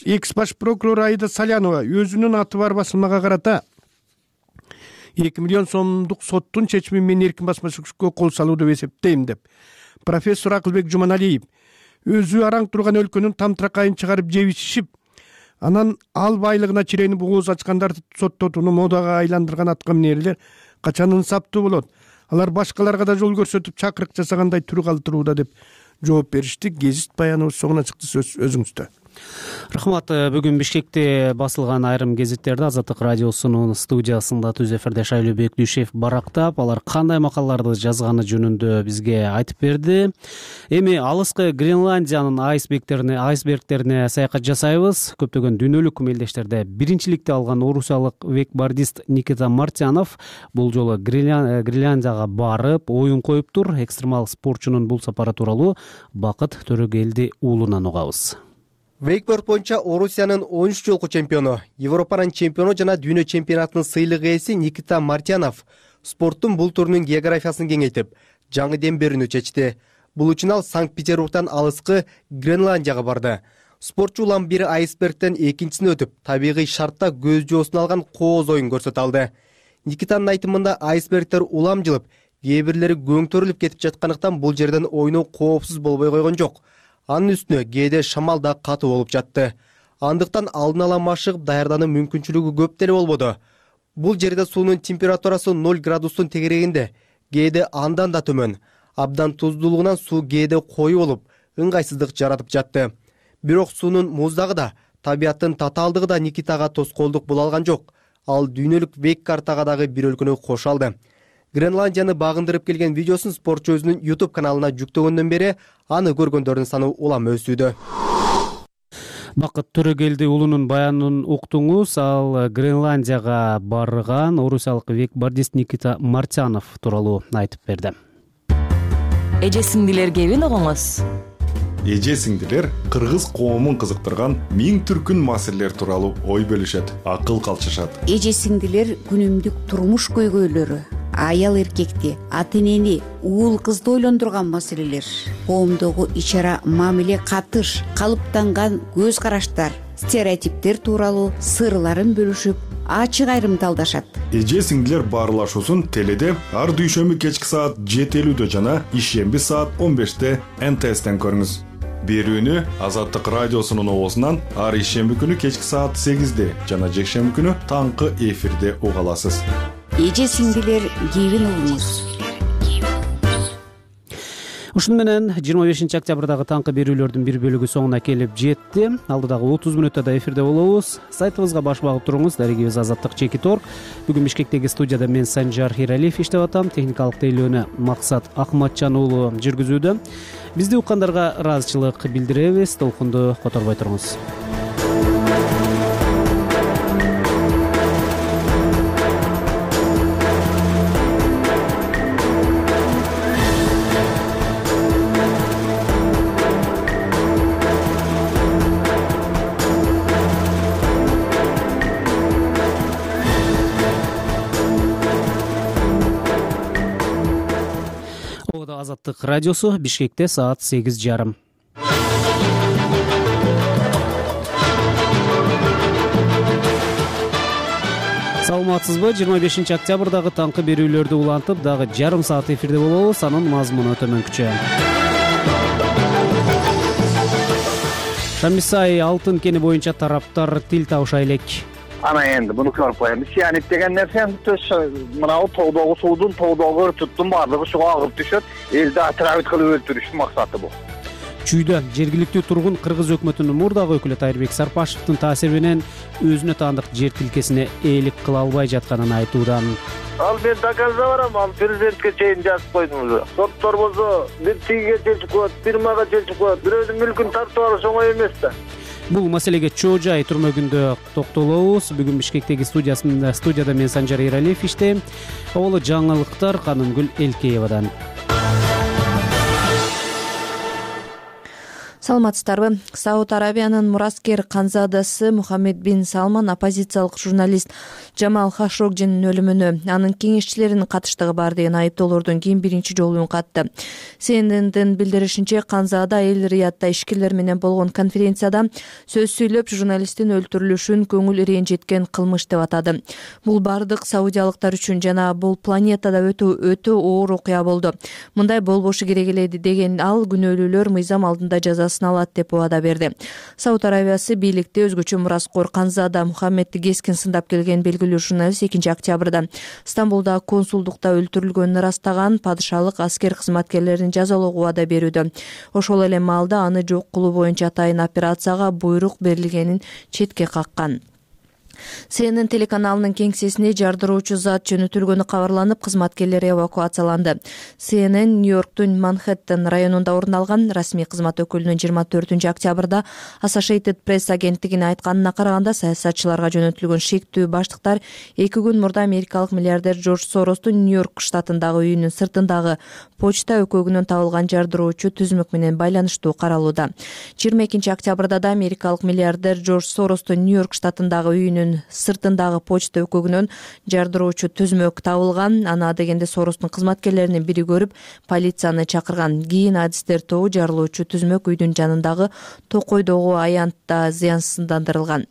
N: Экс баш прокурор Аида Салянова өзүнүн аты бар басылмага карата 2 миллион сомдук соттун чечими менен эркин басмачылыкка кол салуу деп эсептейм деп. Профессор Акылбек Жуманалиев өзү араң турган өлкөнүн тамтыракайын чыгарып жебишип, анан ал байлыгына чиренип ооз ачкандарды соттотууну модага айландырган аткаминерлер качан инсаптуу болот? Алар башкаларга да жол көрсөтүп чакырык жасагандай түр калтырууда деп жооп беришти. Гезит баяныбыз соңуна чыкты, сөз өзүңүздө.
A: Рахмат. Бүгүн Бишкекте басылган айрым гезиттерди Азаттык радиосунун студиясында түз эфирде Шайлоо Бектишев барактап, алар кандай макалаларды жазганы жөнүндө бизге айтып берди. Эми алыскы Гренландиянын айсбергтерине саякат жасайбыз. Көптөгөн дүйнөлүк мелдештерде биринчиликти алган орусиялык вейкбордист Никита Мартянов бул жолу Гренландияга барып, оюн коюптур. Экстремал спортчунун бул сапары тууралуу Бакыт Төрөгелди уулунан угабыз.
O: Вейкборд боюнча Орусиянын 13 жолку чемпиону, Европанын чемпиону жана дүйнө чемпионатынын сыйлык ээси Никита Мартянов спорттун бул түрүнүн географиясын кеңейтип, жаңы дем берүүнү чечти. Бул үчүн ал Санкт-Петербургтан алыскы Гренландияга барды. Спортчу улам бири айсбергден экинчисине өтүп, табигый шартта көз жоосун алган кооз оюн көрсөтө алды. Никитанын айтымында айсбергдер улам жылып, кээ бирлери көңтөрүлүп кетип жаткандыктан бул жерден ойноо коопсуз болбой койгон жок. Анын үстүнө кээде шамал да катуу болуп жатты. Андыктан алдын ала машыгып даярдануу мүмкүнчүлүгү көп деле болбоду. Бул жерде суунун температурасы 0 градустун тегерегинде, кээде андан да төмөн. Абдан туздуулугунан суу кээде коюу болуп, ыңгайсыздык жаратып жатты. Бирок суунун муздагы да, табияттын татаалдыгы да Никитага тоскоолдук боло алган жок. Ал дүйнөлүк вейк картага дагы бир өлкөнү кошо алды. Гренландияны багындырып келген видеосун спортчу өзүнүн YouTube каналына жүктөгөндөн бери аны көргөндөрдүн саны улам өсүүдө.
A: Бакыт Төрөгелди уулунун баянын уктуңуз. Ал Гренландияга барган орусиялык вейкбордист Никита Мартянов тууралуу айтып берди.
P: Эже сиңдилерге эбин огоңуз.
Q: Эже сиңдилер кыргыз коомун кызыктырган миң түркүн маселелер тууралуу ой бөлүшөт, акыл калчышат.
R: Эже сиңдилер күнүмдүк турмуш көйгөйлөрү, аял эркекти, ата энени, уул кызды ойлондурган маселелер, коомдогу ич ара мамиле, катыш, калыптанган көз караштар, стереотиптер тууралуу сырларын бөлүшүп, ачык айрымталдашат.
Q: Эже сиңдилер баарлашуусун теледе ар дүйшөмбү кечки саат 7:50 жана ишемби саат 15 НТСтен көрүңүз. Берүүнү Азаттык радиосунун оозунан ар ишемби күнү кечки саат 8 жана жекшемби күнү таңкы эфирде уга аласыз.
R: Эже сиңдилер кебин угуңуз.
A: Ушун менен 25 октябрдагы таңкы берүүлөрдүн бир бөлүгү соңуна келип жетти. Алдыдагы 30 мүнөттө эфирде болобуз. Сайтыбызга баш багып туруңуз. Дарегибиз Азаттык Чекиторг. Бүгүн Бишкектеги студияда мен Санжар Иралиев иштеп атам. Техникалык тейлөөнү Максат Акматжан уулу жүргүзүүдө. Бизди уккандарга ыраазычылык билдиребиз. Толкунду которбой туруңуз. Азаттык радиосу, Бишкекте саат 8:30. Саламатсызбы? 25 октябрдагы таңкы берүүлөрдү улантып, дагы жарым саат эфирде болобуз. Анын мазмуну төмөнкүчө. Шамисай алтын кени боюнча тараптар тил табыша элек.
S: Ana endi bunu ko'rib qo'yamiz. Siyanit degan narsa mana tog'dagi suvdun, tog'dagi tutdun barligi shuga ag'ib tushadi. Elda atrofit qilib o'ltirish maqsadi bu.
A: Чүйдө жергиликтүү тургун Кыргыз өкмөтүнүн мурдагы өкүлү Тайырбек Сарпашевдин таасири менен өзүнө таандык жер тилкесине ээлик кыла албай жатканын айтууда.
S: Ал мен доказда барам, ал президентке чейин жазып койдум уже. Соттор болсо бир тигиге чечип коет, фирмага чечип коет. Бирөөнүн мүлкүн тартып алыш оңой эмес да.
A: Бул маселеге чоо жай түрмөгүндө токтолобуз. Бүгүн Бишкектеги студияда мен Санжар Иралиев иштейм. Олу жаңылыктар Канымгүл Элкеевадан.
E: Саламатсыздарбы? Сауд Арабиянын мураскер канзадасы Мухаммед бин Салман оппозициялык журналист Жамал Хашогжинин өлүмүнө анын кеңешчилеринин катыштыгы бар деген айыптоолордон кийин биринчи жолу үн катты. СННдин билдиришинче, Канзада Эл Риядда ишкерлер менен болгон конференцияда сөз сүйлөп, журналисттин өлтүрүлүшүн көңүл ренжиткен кылмыш деп атады. Бул бардык саудиялыктар үчүн жана бул планетада өтө оор окуя болду. Мындай болбошу керек эле деген ал күнөөлүүлөр мыйзам алдында жазасын алат деп убада берди. Сауд Арабиясы бийликте өзгөчө мураскор Канзада Мухаммедти кескин сындап келген белгилүү журналист 2 октябрда Стамбулда консулдукта өлтүрүлгөнүн ырастаган падышалык аскер кызматкерлерин жазалоого убада берүүдө. Ошол эле маалда аны жок кылуу боюнча атайын операцияга буйрук берилгенин четке каккан. CNN телеканалынын кеңсесине жардыруучу зат жөнөтүлгөнү кабарланып, кызматкерлер эвакуацияланды. CNN Нью-Йорктун Манхэттен районунда орун алган. Расмий кызмат өкүлүнүн 24 октябрда Associated Press агенттигине айтканына караганда, саясатчыларга жөнөтүлгөн шектүү баштыктар 2 күн мурда америкалык миллиардер Джордж Соростун Нью-Йорк штатындагы үйүнүн сыртындагы почта өкөгүнөн табылган жардыруучу түзмөк менен байланыштуу каралууда. 22 октябрда да америкалык миллиардер Джордж Соростун Нью-Йорк штатындагы үйүнүн сыртындагы почта өкөгүнөн жардыруучу түзмөк табылган. Аны дегенде Соростун кызматкерлеринин бири көрүп, полицияны чакырган. Кийин адистер тобу жарылуучу түзмөк үйдүн жанындагы токойдогу аянтта зыянсыздандырылган.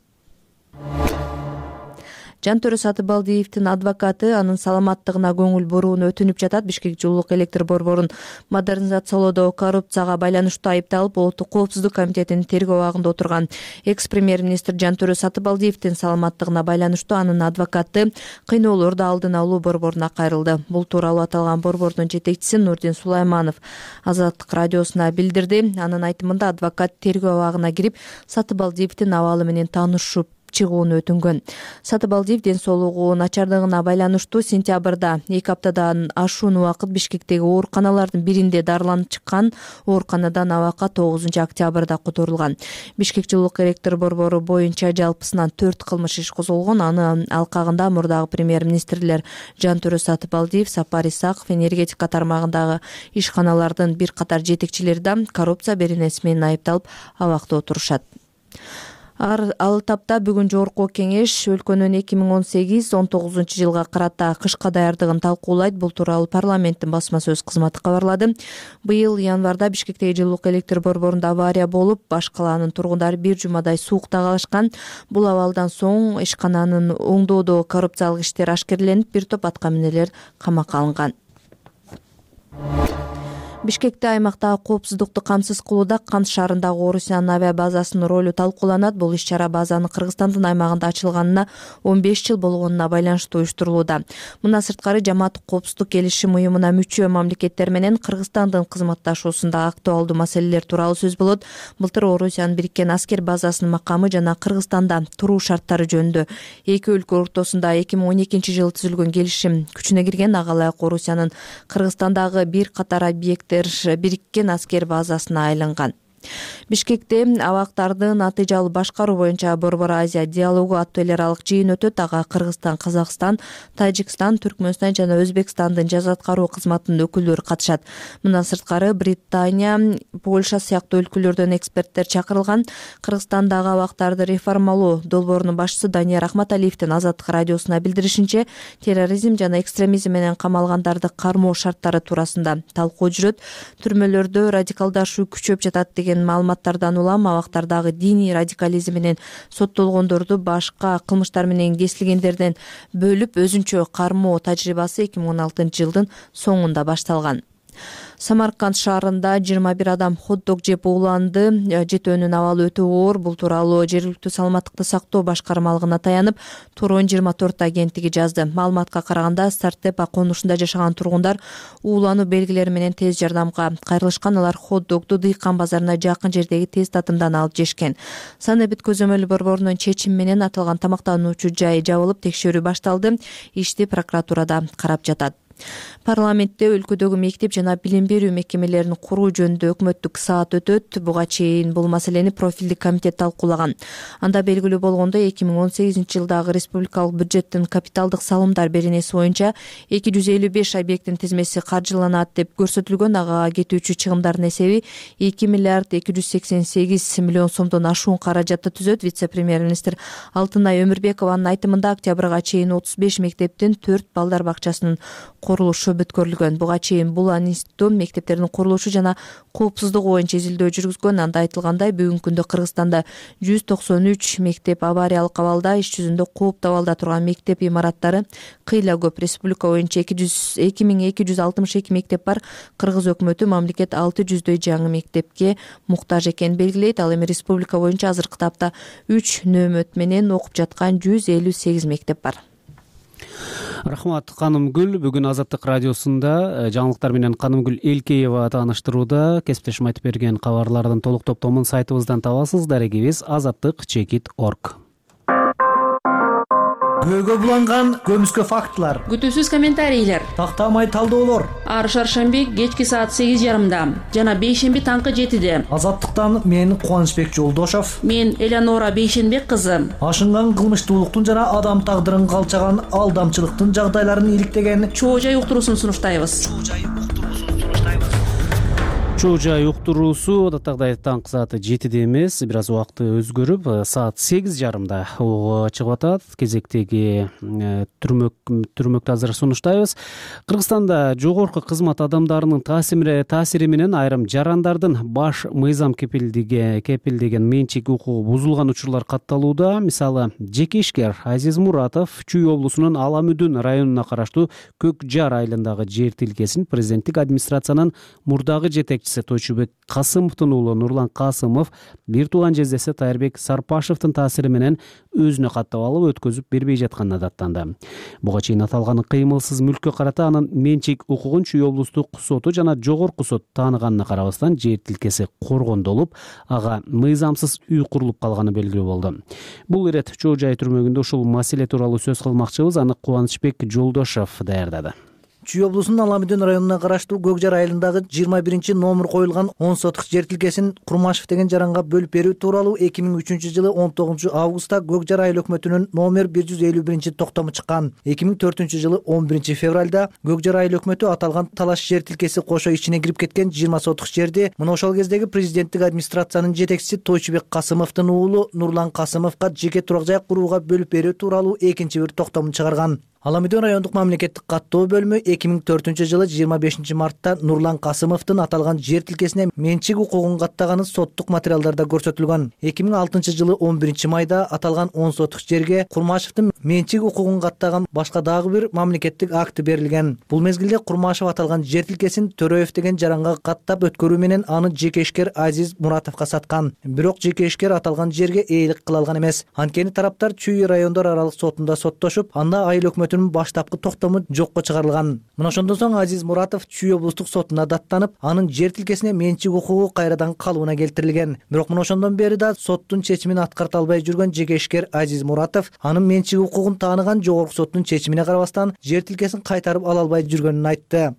E: Жантөрө Сатыбалдиевдин адвокаты анын саламаттыгына көңүл бурууну өтүнүп жатат. Бишкек жылуулук электр борборун модернизациялоодо коррупцияга байланыштуу айыпталып, Улуттук коопсуздук комитетинин тергөө абагында отурган экс-премьер-министр Жантөрө Сатыбалдиевдин саламаттыгына байланыштуу анын адвокаты кыйноолорду алдын алуу борборуна кайрылды. Бул тууралуу аталган борбордун жетекчиси Нурдин Сулайманов Азаттык радиосуна билдирди. Анын айтымында адвокат тергөө абагына кирип, Сатыбалдиевдин абалы менен таанышып чыгууну өтүнгөн. Сатыбалдиев ден соолугу начардыгына байланыштуу сентябрда 2 аптадан ашуун убакыт Бишкектеги ооруканалардын биринде дарыланып чыккан. Ооруканадан абакка 9 октябрда которулган. Бишкек жылуулук электр борбору боюнча жалпысынан 4 кылмыш иш козголгон. Аны алкагында мурдагы премьер-министрлер Жантөрө Сатыбалдиев, Сапар Исаков, энергетика тармагындагы ишканалардын бир катар жетекчилери да коррупция беренеси менен айыпталып абакта отурушат. Ал тапта бүгүн жогорку кеңеш өлкөнүн 2018-19 жылга карата кышка даярдыгын талкуулайт. Бул тууралуу парламенттин басма сөз кызматы кабарлады. Быйыл январда Бишкектеги жылуулук электр борборунда авария болуп, баш калаанын тургундары бир жумадай суукта калышкан. Бул абалдан соң ишкананын оңдоодо коррупциялык иштер ашкерленип, бир топ аткаминерлер камакка алынган. Бишкекте аймактагы коопсуздукту камсыз кылууда Кант шаарындагы Орусиянын авиа базасынын ролу талкууланат. Бул иш-чара базанын Кыргызстандын аймагында ачылганына 15 жыл болгонуна байланыштуу уюштурулууда. Мындан сырткары жамааттык коопсуздук келишим уюмуна мүчө мамлекеттер менен Кыргызстандын кызматташуусунда актуалдуу маселелер тууралуу сөз болот. Былтыр Орусиянын бириккен аскер базасынын макамы жана Кыргызстанда туруу шарттары жөнүндө эки өлкө ортосунда 2012 жылы түзүлгөн келишим күчүнө кирген. Ага ылайык Орусиянын Кыргызстандагы бир катар объекттер бириккен аскер базасына айланган. Бишкекте абактарды натыйжалуу башкаруу боюнча Борбор Азия диалогу аттуу эл аралык жыйын өтөт. Ага Кыргызстан, Казакстан, Тажикстан, Түркмөнстан жана Өзбекстандын жаза аткаруу кызматынын өкүлдөрү катышат. Мындан сырткары Британия, Польша сыяктуу өлкөлөрдөн эксперттер чакырылган. Кыргызстандагы абактарды реформалоо долбоорунун башчысы Данияр Ахматалиевдин Азаттык радиосуна билдиришинче, терроризм жана экстремизм менен камалгандарды кармоо шарттары туурасында талкуу жүрөт. Түрмөлөрдө радикалдашуу күчөп жатат деген маалыматтардан улам абактардагы диний радикализм менен соттолгондорду башка кылмыштар менен кесилгендерден бөлүп өзүнчө кармоо тажрыйбасы 2016 жылдын соңунда башталган. Самарканд шаарында 21 адам хот-дог жеп ууланды. Жетөөнүн абалы өтө оор. Бул тууралуу жергиликтүү саламаттыкты сактоо башкармалыгына таянып, Тургун 24 агенттиги жазды. Маалыматка караганда, Стартепа конушунда жашаган тургундар уулануу белгилери менен тез жардамга кайрылышкан. Алар хот-догду Дыйкан базарына жакын жердеги тез татымдан алып жешкен. Санэбит көзөмөл борборунун чечими менен аталган тамактануучу жай жабылып, текшерүү башталды. Ишти прокуратурада карап жатат. Парламентте өлкөдөгү мектеп жана билим берүү мекемелерин куруу жөнүндө өкмөттүк саат өтөт. Буга чейин бул маселени профилдик комитет талкуулаган. Анда белгилүү болгондой, 2018 жылдагы республикалык бюджеттин капиталдык салымдар беренеси боюнча 255 объекттин тизмеси каржыланат деп көрсөтүлгөн. Ага кетүүчү чыгымдардын эсеби 2 миллиард 288 миллион сомдон ашуун каражатты түзөт. Вице-премьер-министр Алтынай Өмүрбекованын айтымында, октябрга чейин 35 мектептин 4 балдар бакчасынын курулушу бүткөрүлгөн. Буга чейин бул институт мектептердин курулушу жана коопсуздугу боюнча изилдөө жүргүзгөн. Анда айтылгандай, бүгүнкү күндө Кыргызстанда 193 мектеп авариялык абалда, иш жүзүндө кооптуу абалда турган мектеп имараттары кыйла көп. Республика боюнча 2262 мектеп бар. Кыргыз өкмөтү мамлекет 600дөй жаңы мектепке муктаж экенин белгилейт. Ал эми республика боюнча азыркы тапта 3 нөөмөт менен окуп жаткан 158 мектеп бар.
A: Рахмат, Канымгүл. Бүгүн Азаттык радиосунда жаңылыктар менен Канымгүл Элкеева тааныштырууда. Кесиптешим айтып берген кабарлардын толук топтомун сайтыбыздан табасыз. Дарегибиз azattik.org.
T: Көйгө буланган көмүскө фактылар,
F: күтүүсүз комментарийлер,
T: тактамай талдоолор.
F: Ар шаршемби кечки саат 8:30, жана бейшемби таңкы 7-де.
T: Азаттыктан мен Кубанычбек Жолдошов,
F: мен Элеонора Бейшенбек кызы.
T: Ашынган кылмыштуулуктун жана адам тагдырын калчаган алдамчылыктын жагдайларын иликтеген
F: Чоо жай уктуруусун сунуштайбыз.
A: Чоо жай уктуруусу адаттагыдай таңкы сааты 7-де эмес, бир аз убакыты өзгөрүп, саат 8:30 чыгып атат. Кезектеги түрмөктү азыр сунуштайбыз. Кыргызстанда жогорку кызмат адамдарынын таасири менен айрым жарандардын баш мыйзам кепилдеген менчик укугу бузулган учурлар катталууда. Мисалы, жеке ишкер Азиз Муратов Чүй облусунун Аламүдүн районуна караштуу Көк Жар айылындагы жер тилкесин президенттик администрациянын мурдагы жетекчиси Тойчубек Касымовдун уулу Нурлан Касымов бир тууган жездеси Тайырбек Сарпашевдин таасири менен өзүнө каттап алып өткөзүп бербей жатканына даттанды. Буга чейин аталган кыймылсыз мүлккө карата анын менчик укугун Чүй облустук соту жана жогорку сот тааныганына карабастан жер тилкеси коргондолуп, ага мыйзамсыз үй курулуп калганы белгилүү болду. Бул ирет Чоо жай түрмөгүндө ушул маселе тууралуу сөз кылмакчыбыз. Аны Кубанычбек Жолдошов даярдады.
T: Чүй облусунун Аламүдүн районуна караштуу Көк Жар айылындагы 21 номер коюлган 10 сотук жер тилкесин Курмашев деген жаранга бөлүп берүү тууралуу 2003 жылы 19 августта Көк Жар айыл өкмөтүнүн номер 151 токтому чыккан. 2004 жылы 11 февралда Көк Жар айыл өкмөтү аталган талаш жер тилкеси кошо ичине кирип кеткен 20 сотук жерди мына ошол кездеги президенттик администрациянын жетекчиси Тойчубек Касымовдун уулу Нурлан Касымовго жеке турак жай курууга бөлүп берүү тууралуу экинчи бир токтомун чыгарган. Ала Меден райондук мамлекеттик каттоо бөлүмү 2004 жылы 25 мартта Нурлан Касымовдун аталган жер тилкесине менчик укугун каттаганы соттук материалдарда көрсөтүлгөн. 2006 жылы 11 майда аталган 10 сотук жерге Курмашевдин менчик укугун каттаган башка дагы бир мамлекеттик акт берилген. Бул мезгилде Курмашев аталган жер тилкесин Төрөев деген жаранга каттап өткөрүү менен аны жеке ишкер Азиз Муратовго саткан. Бирок жеке ишкер аталган жерге ээлик кыла алган эмес. Анткени тараптар Чүй райондор аралык сотунда соттошуп, анда айыл өкмөтүнүн баштапкы токтому жокко чыгарылган. Мына ошондон соң Азиз Муратов Чүй облустук сотуна даттанып, анын жер тилкесине менчик укугу кайрадан калыбына келтирилген. Бирок мына ошондон бери да соттун чечимин аткарта албай жүргөн жеке ишкер Азиз Муратов анын менчик укугун тааныган жогорку соттун чечимине карабастан жер тилкесин кайтарып ала албай жүргөнүн айтты.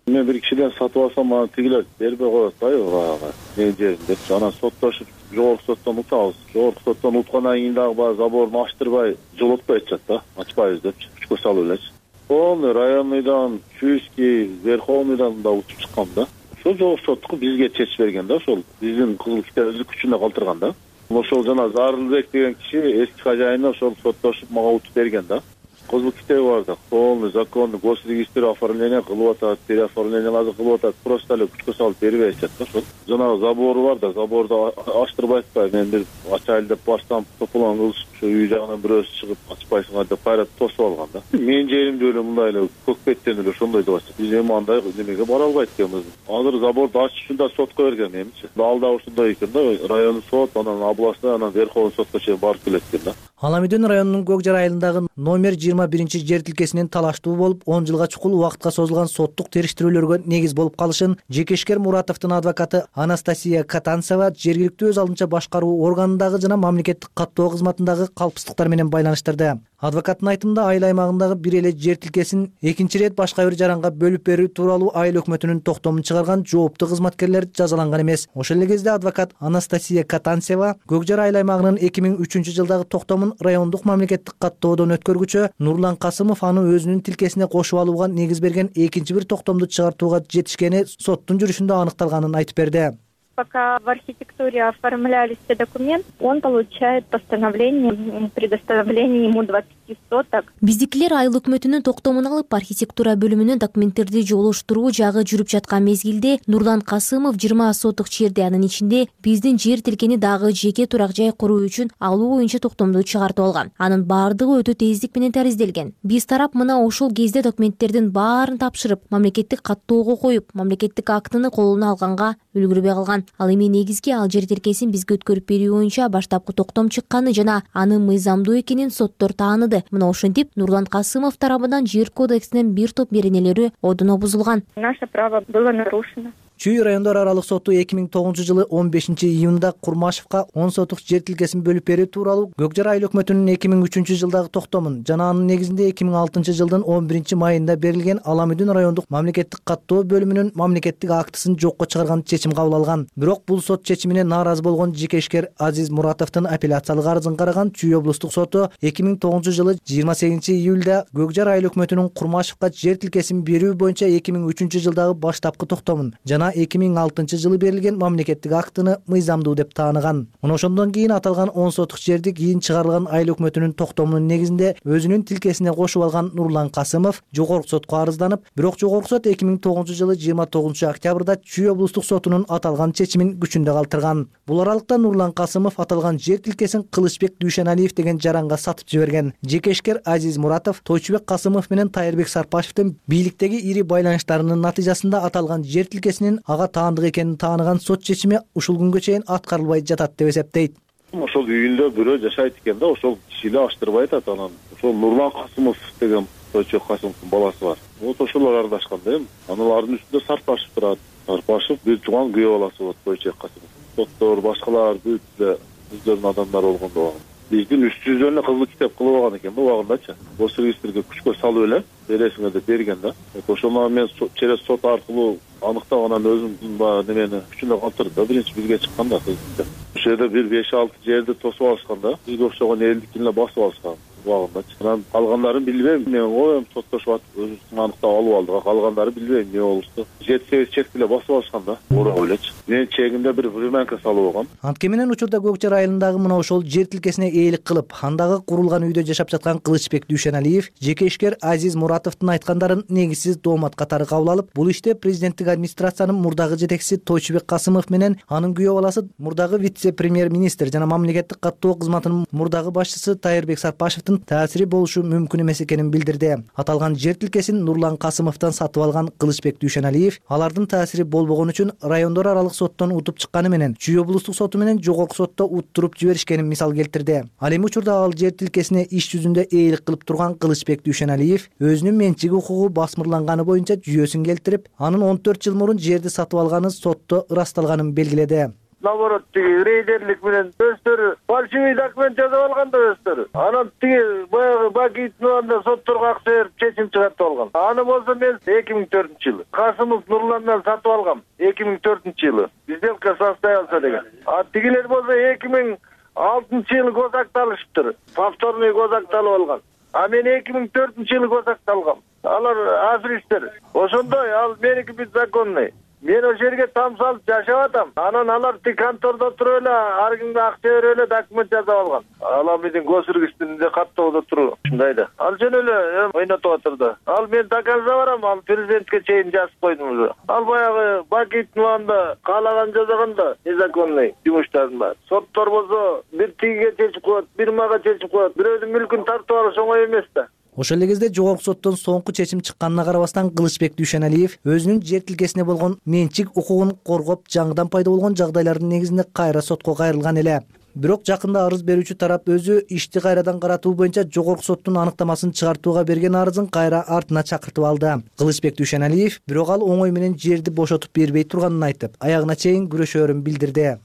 U: Мен бир кишиден сатып алсам, аны тигилер бербей коет атпайбы баягы менин жерим деп. Анан соттошуп жогорку соттон утабыз. Жогорку соттон уткандан кийин дагы баягы заборун ачтырбай жолотпой атышат да. Ачпайбыз депчи. Күчкө салып элечи. Полный районныйдан, Чуйский, Верховныйдан да утуп чыккан да. Ошол жогорку соттуку бизге чечип берген да, ошол биздин кызыл китебибизди күчүндө калтырган да. Ошол жана Зарылбек деген киши эски хожайыны ошол соттошуп мага утуп берген да. Кызыл китеби бар да, полный законный госрегистр оформление кылып атат, переоформленияларды кылып атат, просто эле күчкө салып бербей атышат да ошол. Жанагы забору бар да, заборду ачтырбай атпайбы. Мен бир ачайлы деп барсам, тополоң кылышып, ошо үй жагынан бирөөсү чыгып ачпайсыңар деп кайра тосуп алган да. Менин жеримде эле мындай эле көкпеттен эле ошондой деп атышат. Биз эми андай немеге бара албайт экенбиз. Азыр заборду ачыш үчүн да сотко берген менимче. Ал да ушундай экен да, райондук сот, анан областной, анан Верховный сотко чейин барып келет экен да.
T: Ала Меден районунун Көкжар айылындагы номер 21 жер тилкесинин талаштуу болуп 10 жылга чукул убакытка созулган соттук териштирүүлөргө негиз болуп калышын жеке ишкер Муратовдун адвокаты Анастасия Катанцева жергиликтүү өз алдынча башкаруу органындагы жана мамлекеттик каттоо кызматындагы калпсыздыктар менен байланыштырды. Адвокаттын айтымында айыл аймагындагы бир эле жер тилкесин экинчи ирет башка бир жаранга бөлүп берүү тууралуу айыл өкмөтүнүн токтомун чыгарган жооптуу кызматкерлер жазаланган эмес. Ошол эле кезде адвокат Анастасия Катанцева Көкжар айыл аймагынын 2003 жылдагы токтомун райондук мамлекеттик каттоодон өткөргүчө Нурлан Касымов аны өзүнүн тилкесине кошуп алууга негиз берген экинчи бир токтомду чыгартууга жетишкени соттун жүрүшүндө аныкталганын айтып берди.
V: Пока в архитектуре оформлялись все документы, он получает постановление предоставления ему 20 соток.
W: Биздикилер айыл өкмөтүнүн токтомун алып, архитектура бөлүмүнүн документтерди жолуштуруу жагы жүрүп жаткан мезгилде Нурлан Касымов 20 сотук жерди, анын ичинде биздин жер тилкени дагы жеке турак жай куруу үчүн алуу боюнча токтомду чыгартып алган. Анын баардыгы өтө тездик менен таризделген. Биз тарап мына ошол кезде документтердин баарын тапшырып, мамлекеттик каттоого коюп, мамлекеттик актыны колуна алганга үлгүрбөй калган. Ал эми негизги ал жер тилкесин бизге өткөрүп берүү боюнча баштапкы токтом чыкканы жана анын мыйзамдуу экенин соттор тааныды. Мына ошентип Нурлан Касымов тарабынан жер кодексинин бир топ беренелери одуно бузулган.
V: Наше право было нарушено.
T: Чүй райондор аралык соту 2009 жылы 15 июнда Курмашевка 10 сотук жер тилкесин бөлүп берүү тууралуу Көкжар айыл өкмөтүнүн 2003 жылдагы токтомун жана анын негизинде 2006 жылдын 11 майында берилген Ала Меден райондук мамлекеттик каттоо бөлүмүнүн мамлекеттик актысын жокко чыгарган чечим кабыл алган. Бирок бул сот чечимине нааразы болгон жеке ишкер Азиз Муратовдун апелляциялык арызын караган Чүй облустук соту 2009 жылы 28 июлда Көкжар айыл өкмөтүнүн Курмашевка жер тилкесин берүү боюнча 2003 жылдагы баштапкы токтомун жана 2006 жылы берилген мамлекеттик актыны мыйзамдуу деп тааныган. Мына ошондон кийин аталган 10 сотук жерди кийин чыгарылган айыл өкмөтүнүн токтомунун негизинде өзүнүн тилкесине кошуп алган Нурлан Касымов жогорку сотко арызданып, бирок жогорку сот 2009 жылы 29 октябрда Чүй облустук сотунун аталган чечимин күчүндө калтырган. Бул аралыкта Нурлан Касымов аталган жер тилкесин Кылычбек Дүйшеналиев деген жаранга сатып жиберген. Жеке ишкер Азиз Муратов Тойчубек Касымов менен Тайырбек Сарпашевдин бийликтеги ири байланыштарынын натыйжасында аталган жер тилкесинин ага таандык экенин тааныган сот чечими ушул күнгө чейин аткарылбай жатат деп эсептейт.
U: Ошол үйүндө бирөө жашайт экен да, ошол киши эле аштырбай атат. Анан ошол Нурлан Касымов деген Тойчубек Касымовдун баласы бар. Вот ошолор аралашкан да эми. Аналардын үстүндө Сарпашев турат. Сарпашев бир жуган күйөө баласы болот Тойчубек Касымов. Соттор башкалар бүт эле өздөрүнүн адамдары болгондо биздин үстүбүздөн эле кызыл китеп кылып алган экен да убагындачы. Госрегистрге күчкө салып эле бересиңер деп берген да. Ошону мен через сот аркылуу аныктап анан өзүм баягы немени күчүндө калтырды да, биринчи бизге чыккан да. Ошол жерде бир 5-6 жерди тосуп алышкан да. Бизге окшогон элдикин эле басып алышкан. убагындачы. Анан калгандарын билбейм, эмне коем, соттошуп атып өзүбүздүн аныктап алып алдык. Калгандары билбейм эмне болушту. 7-8 чек эле басып алышкан да. Урап элечи. Мен чегимде бир времянка салып алгам.
T: Антке менен учурда Көк Жар айылындагы мына ошол жер тилкесине ээлик кылып, андагы курулган үйдө жашап жаткан Кылычбек Дүйшеналиев жеке ишкер Азиз Муратовдун айткандарын негизсиз доомат катары кабыл алып, бул иште президенттик администрациянын мурдагы жетекчиси Тойчубек Касымов менен анын күйөө баласы мурдагы вице-премьер-министр жана мамлекеттик каттоо кызматынын мурдагы башчысы Тайырбек Сарпашевдин таасири болушу мүмкүн эмес экенин билдирди. Аталган жер тилкесин Нурлан Касымовдон сатып алган Кылычбек Дүйшеналиев алардын таасири болбогон үчүн райондор аралык соттон утуп чыкканы менен Чүй облустук соту менен жогорку сотто уттуруп жиберишкенин мисал келтирди. Ал эми учурда ал жер тилкесине иш жүзүндө ээлик кылып турган Кылычбек Дүйшеналиев өзүнүн менчик укугу басмырланганы боюнча жүйөсүн келтирип, анын 14 жыл мурун жерди сатып алганы сотто ырасталганын белгиледи.
U: Наоборот, тиги рейдерлик менен өздөрү фальшивый документ жазып алган да өздөрү. Анан тиги баягы Бакиевдин сотторго акча берип чечим чыгартып алган. Аны болсо мен 2004-жылы Касымов Нурландан сатып алгам. 2004-жылы сделка состоялся деген. А тигилер болсо 2006-жылы госакталышыптыр. Повторный госакталып алган. А мен 2004-жылы госакталгам. Алар аферисттер. Ошондой ал меники беззаконный. Мен ошол жерге там салып жашап атам. Анан алар тик контордо туруп эле ар кимге акча берип эле документ жазып алган. Ал биздин госүргүчтүндө каттоодо туруп ушундай да. Ал жөн эле ойнотуп атыр да. Ал мен доказа барам, ал президентке чейин жазып койдум уже. Ал баягы Бакиевдин каалаган жасаган да незаконный жумуштардын баары. Соттор болсо бир тигиге чечип коет, бир мага чечип коет. Бирөөдүн мүлкүн тартып алыш оңой эмес да.
T: Ошол эле кезде жогорку соттон соңку чечим чыкканына карабастан Кылычбек Дүйшеналиев өзүнүн жер тилкесине болгон менчик укугун коргоп, жаңыдан пайда болгон жагдайлардын негизинде кайра сотко кайрылган эле. Бирок жакында арыз берүүчү тарап өзү ишти кайрадан каратуу боюнча жогорку соттун аныктамасын чыгартууга берген арызын кайра артына чакыртып алды. Кылычбек Дүйшеналиев бирок ал оңой менен жерди бошотуп бербей турганын айтып, аягына чейин күрөшөөрүн билдирди.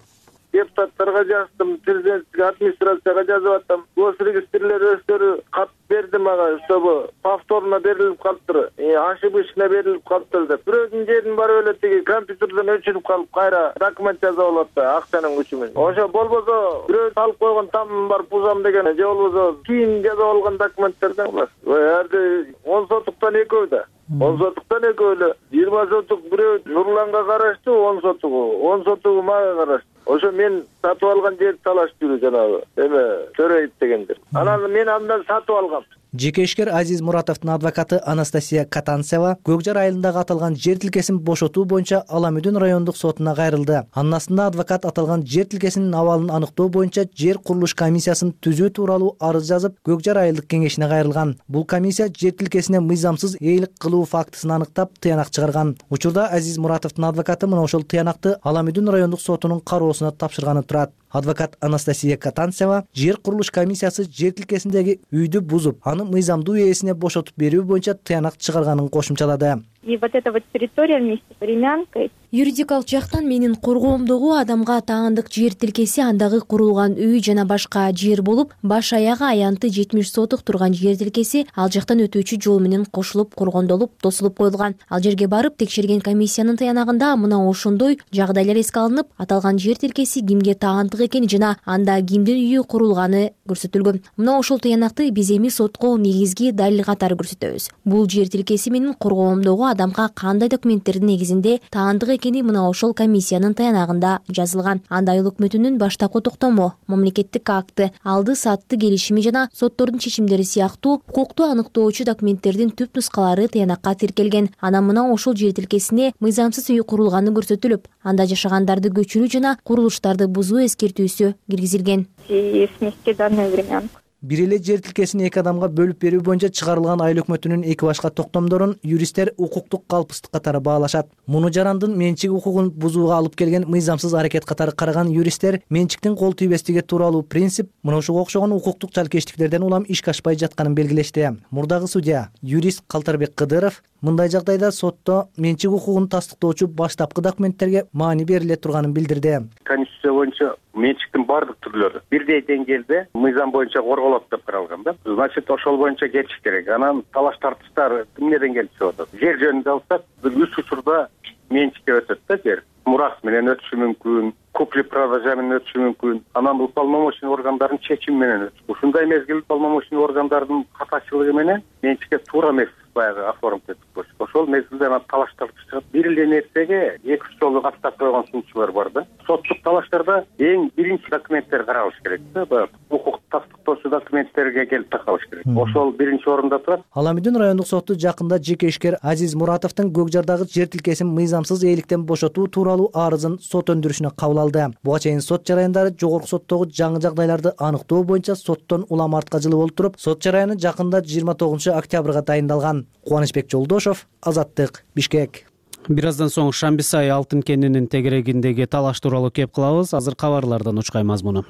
U: Депутаттарга жаздым, президенттик администрацияга жазып атам. Госрегистрлер өздөрү кат берди мага, чтобы повторно берилип калыптыр. Ошибочно берилип калыптыр деп. Бирөөдүн жерин барып эле тиги компьютерден өчүрүп калып, кайра документ жазып алат да, акчанын күчү менен. Ошо болбосо бирөө алып койгон тамым бар, пузам деген, же болбосо кийин жазып алган документтерден булар. Эрде 10 сотуктан экөө да. 10 сотуктан экөө эле. 20 сотук бирөө Нурланга караштуу, 10 сотугу мага караштуу. Ошо мен сатып алган жерди талашып жүрү жанагы эме Төрөйүп дегендер. Анан мен андан сатып алгам.
T: Жеке ишкер Азиз Муратовдун адвокаты Анастасия Катанцева Көк Жар айылындагы аталган жер тилкесин бошотуу боюнча Аламүдүн райондук сотуна кайрылды. Анын астында адвокат аталган жер тилкесинин абалын аныктоо боюнча жер курулуш комиссиясын түзүү тууралуу арыз жазып, Көк Жар айылдык кеңешине кайрылган. Бул комиссия жер тилкесине мыйзамсыз ээлик кылуу фактысын аныктап, тыянак чыгарган. Учурда Азиз Муратовдун адвокаты мына ошол тыянакты Аламүдүн райондук сотунун кароосуна тапшырганы турат. Адвокат Анастасия Катанцева жер курулуш комиссиясы жер тилкесиндеги үйдү бузуп, аны мыйзамдуу ээсине бошотуп берүү боюнча тыянак чыгарганын кошумчалады.
V: И вот эта вот территория вместе с времянкой.
W: Юридикалык жактан менин коргоомдогу адамга таандык жер тилкеси андагы курулган үй жана башка жер болуп, баш аягы аянты 70 сотук турган жер тилкеси ал жактан өтүүчү жол менен кошулуп, коргондолуп, тосулуп коюлган. Ал жерге барып текшерген комиссиянын тыянагында мына ошондой жагдайлар эске алынып, аталган жер тилкеси кимге таандык экени жана анда кимдин үйү курулганы көрсөтүлгөн. Мына ошол тыянакты биз эми сотко негизги далил катары көрсөтөбүз. Бул жер тилкеси менин коргоомдогу адамга кандай документтердин негизинде таандык экени мына ошол комиссиянын таянагында жазылган. Анда айыл өкмөтүнүн баштапкы токтому, мамлекеттик акты, алды сатты келишими жана соттордун чечимдери сыяктуу укукту аныктоочу документтердин түп нускалары таянакка тиркелген. Анан мына ошол жер тилкесине мыйзамсыз үй курулганы көрсөтүлүп, анда жашагандарды көчүрүү жана курулуштарды бузуу эскертүүсү киргизилген.
V: И снести данную времянку.
T: Бир эле жер тилкесин эки адамга бөлүп берүү боюнча чыгарылган айыл өкмөтүнүн эки башка токтомдорун юристтер укуктук калпсыздык катары баалашат. Муну жарандын менчик укугун бузууга алып келген мыйзамсыз аракет катары караган юристтер менчиктин кол тийбестиги тууралуу принцип мына ушуга окшогон укуктук жалкештиктерден улам ишке ашпай жатканын белгилешти. Мурдагы судья, юрист Калтарбек Кыдыров мындай жагдайда сотто менчик укугун тастыктоочу баштапкы документтерге маани бериле турганын билдирди.
B: Конституция боюнча менчиктин бардык түрлөрү бирдей деңгээлде мыйзам боюнча корголот деп каралган да. Значит, ошол боюнча кетиш керек. Анан талаш тартыштар эмнеден келип чыгып атат? Жер жөнүндө алсак, бир 3 учурда менчикке өтөт да жер. Мурас менен өтүшү мүмкүн, куп открытый продажа менен өтүшү мүмкүн. Анан бул полномочный органдардын чечими менен өтүш. Ушундай мезгил полномочный органдардын катачылыгы менен менчикке туура эмес баягы оформить этип коюш. Ошол мезгилде анан талаштар чыгат. Бир эле нерсеге 2-3 жолу каттап койгон сунуучулар бар да. Соттук талаштарда эң биринчи документтер каралыш керек да. Баягы укук тастыктоочу документтерге келип такалыш керек. Ошол биринчи орунда турат.
T: Аламидин райондук соту жакында жеке ишкер Азиз Муратовдун Көкжардагы жер тилкесин мыйзамсыз ээликтен бошотуу тууралуу арызын сот өндүрүшүнө кабыл алды. Буга чейин сот жараяндары жогорку соттогу жаңы жагдайларды аныктоо боюнча соттон улам артка жылып олтуруп, сот жараяны жакында 29-октябрга дайындалган. Кубанычбек Жолдошов, Азаттык, Бишкек.
A: Бир аздан соң Шамбисай алтын кенинин тегерегиндеги талаш тууралуу кеп кылабыз. Азыр кабарлардан учкай мазмуну.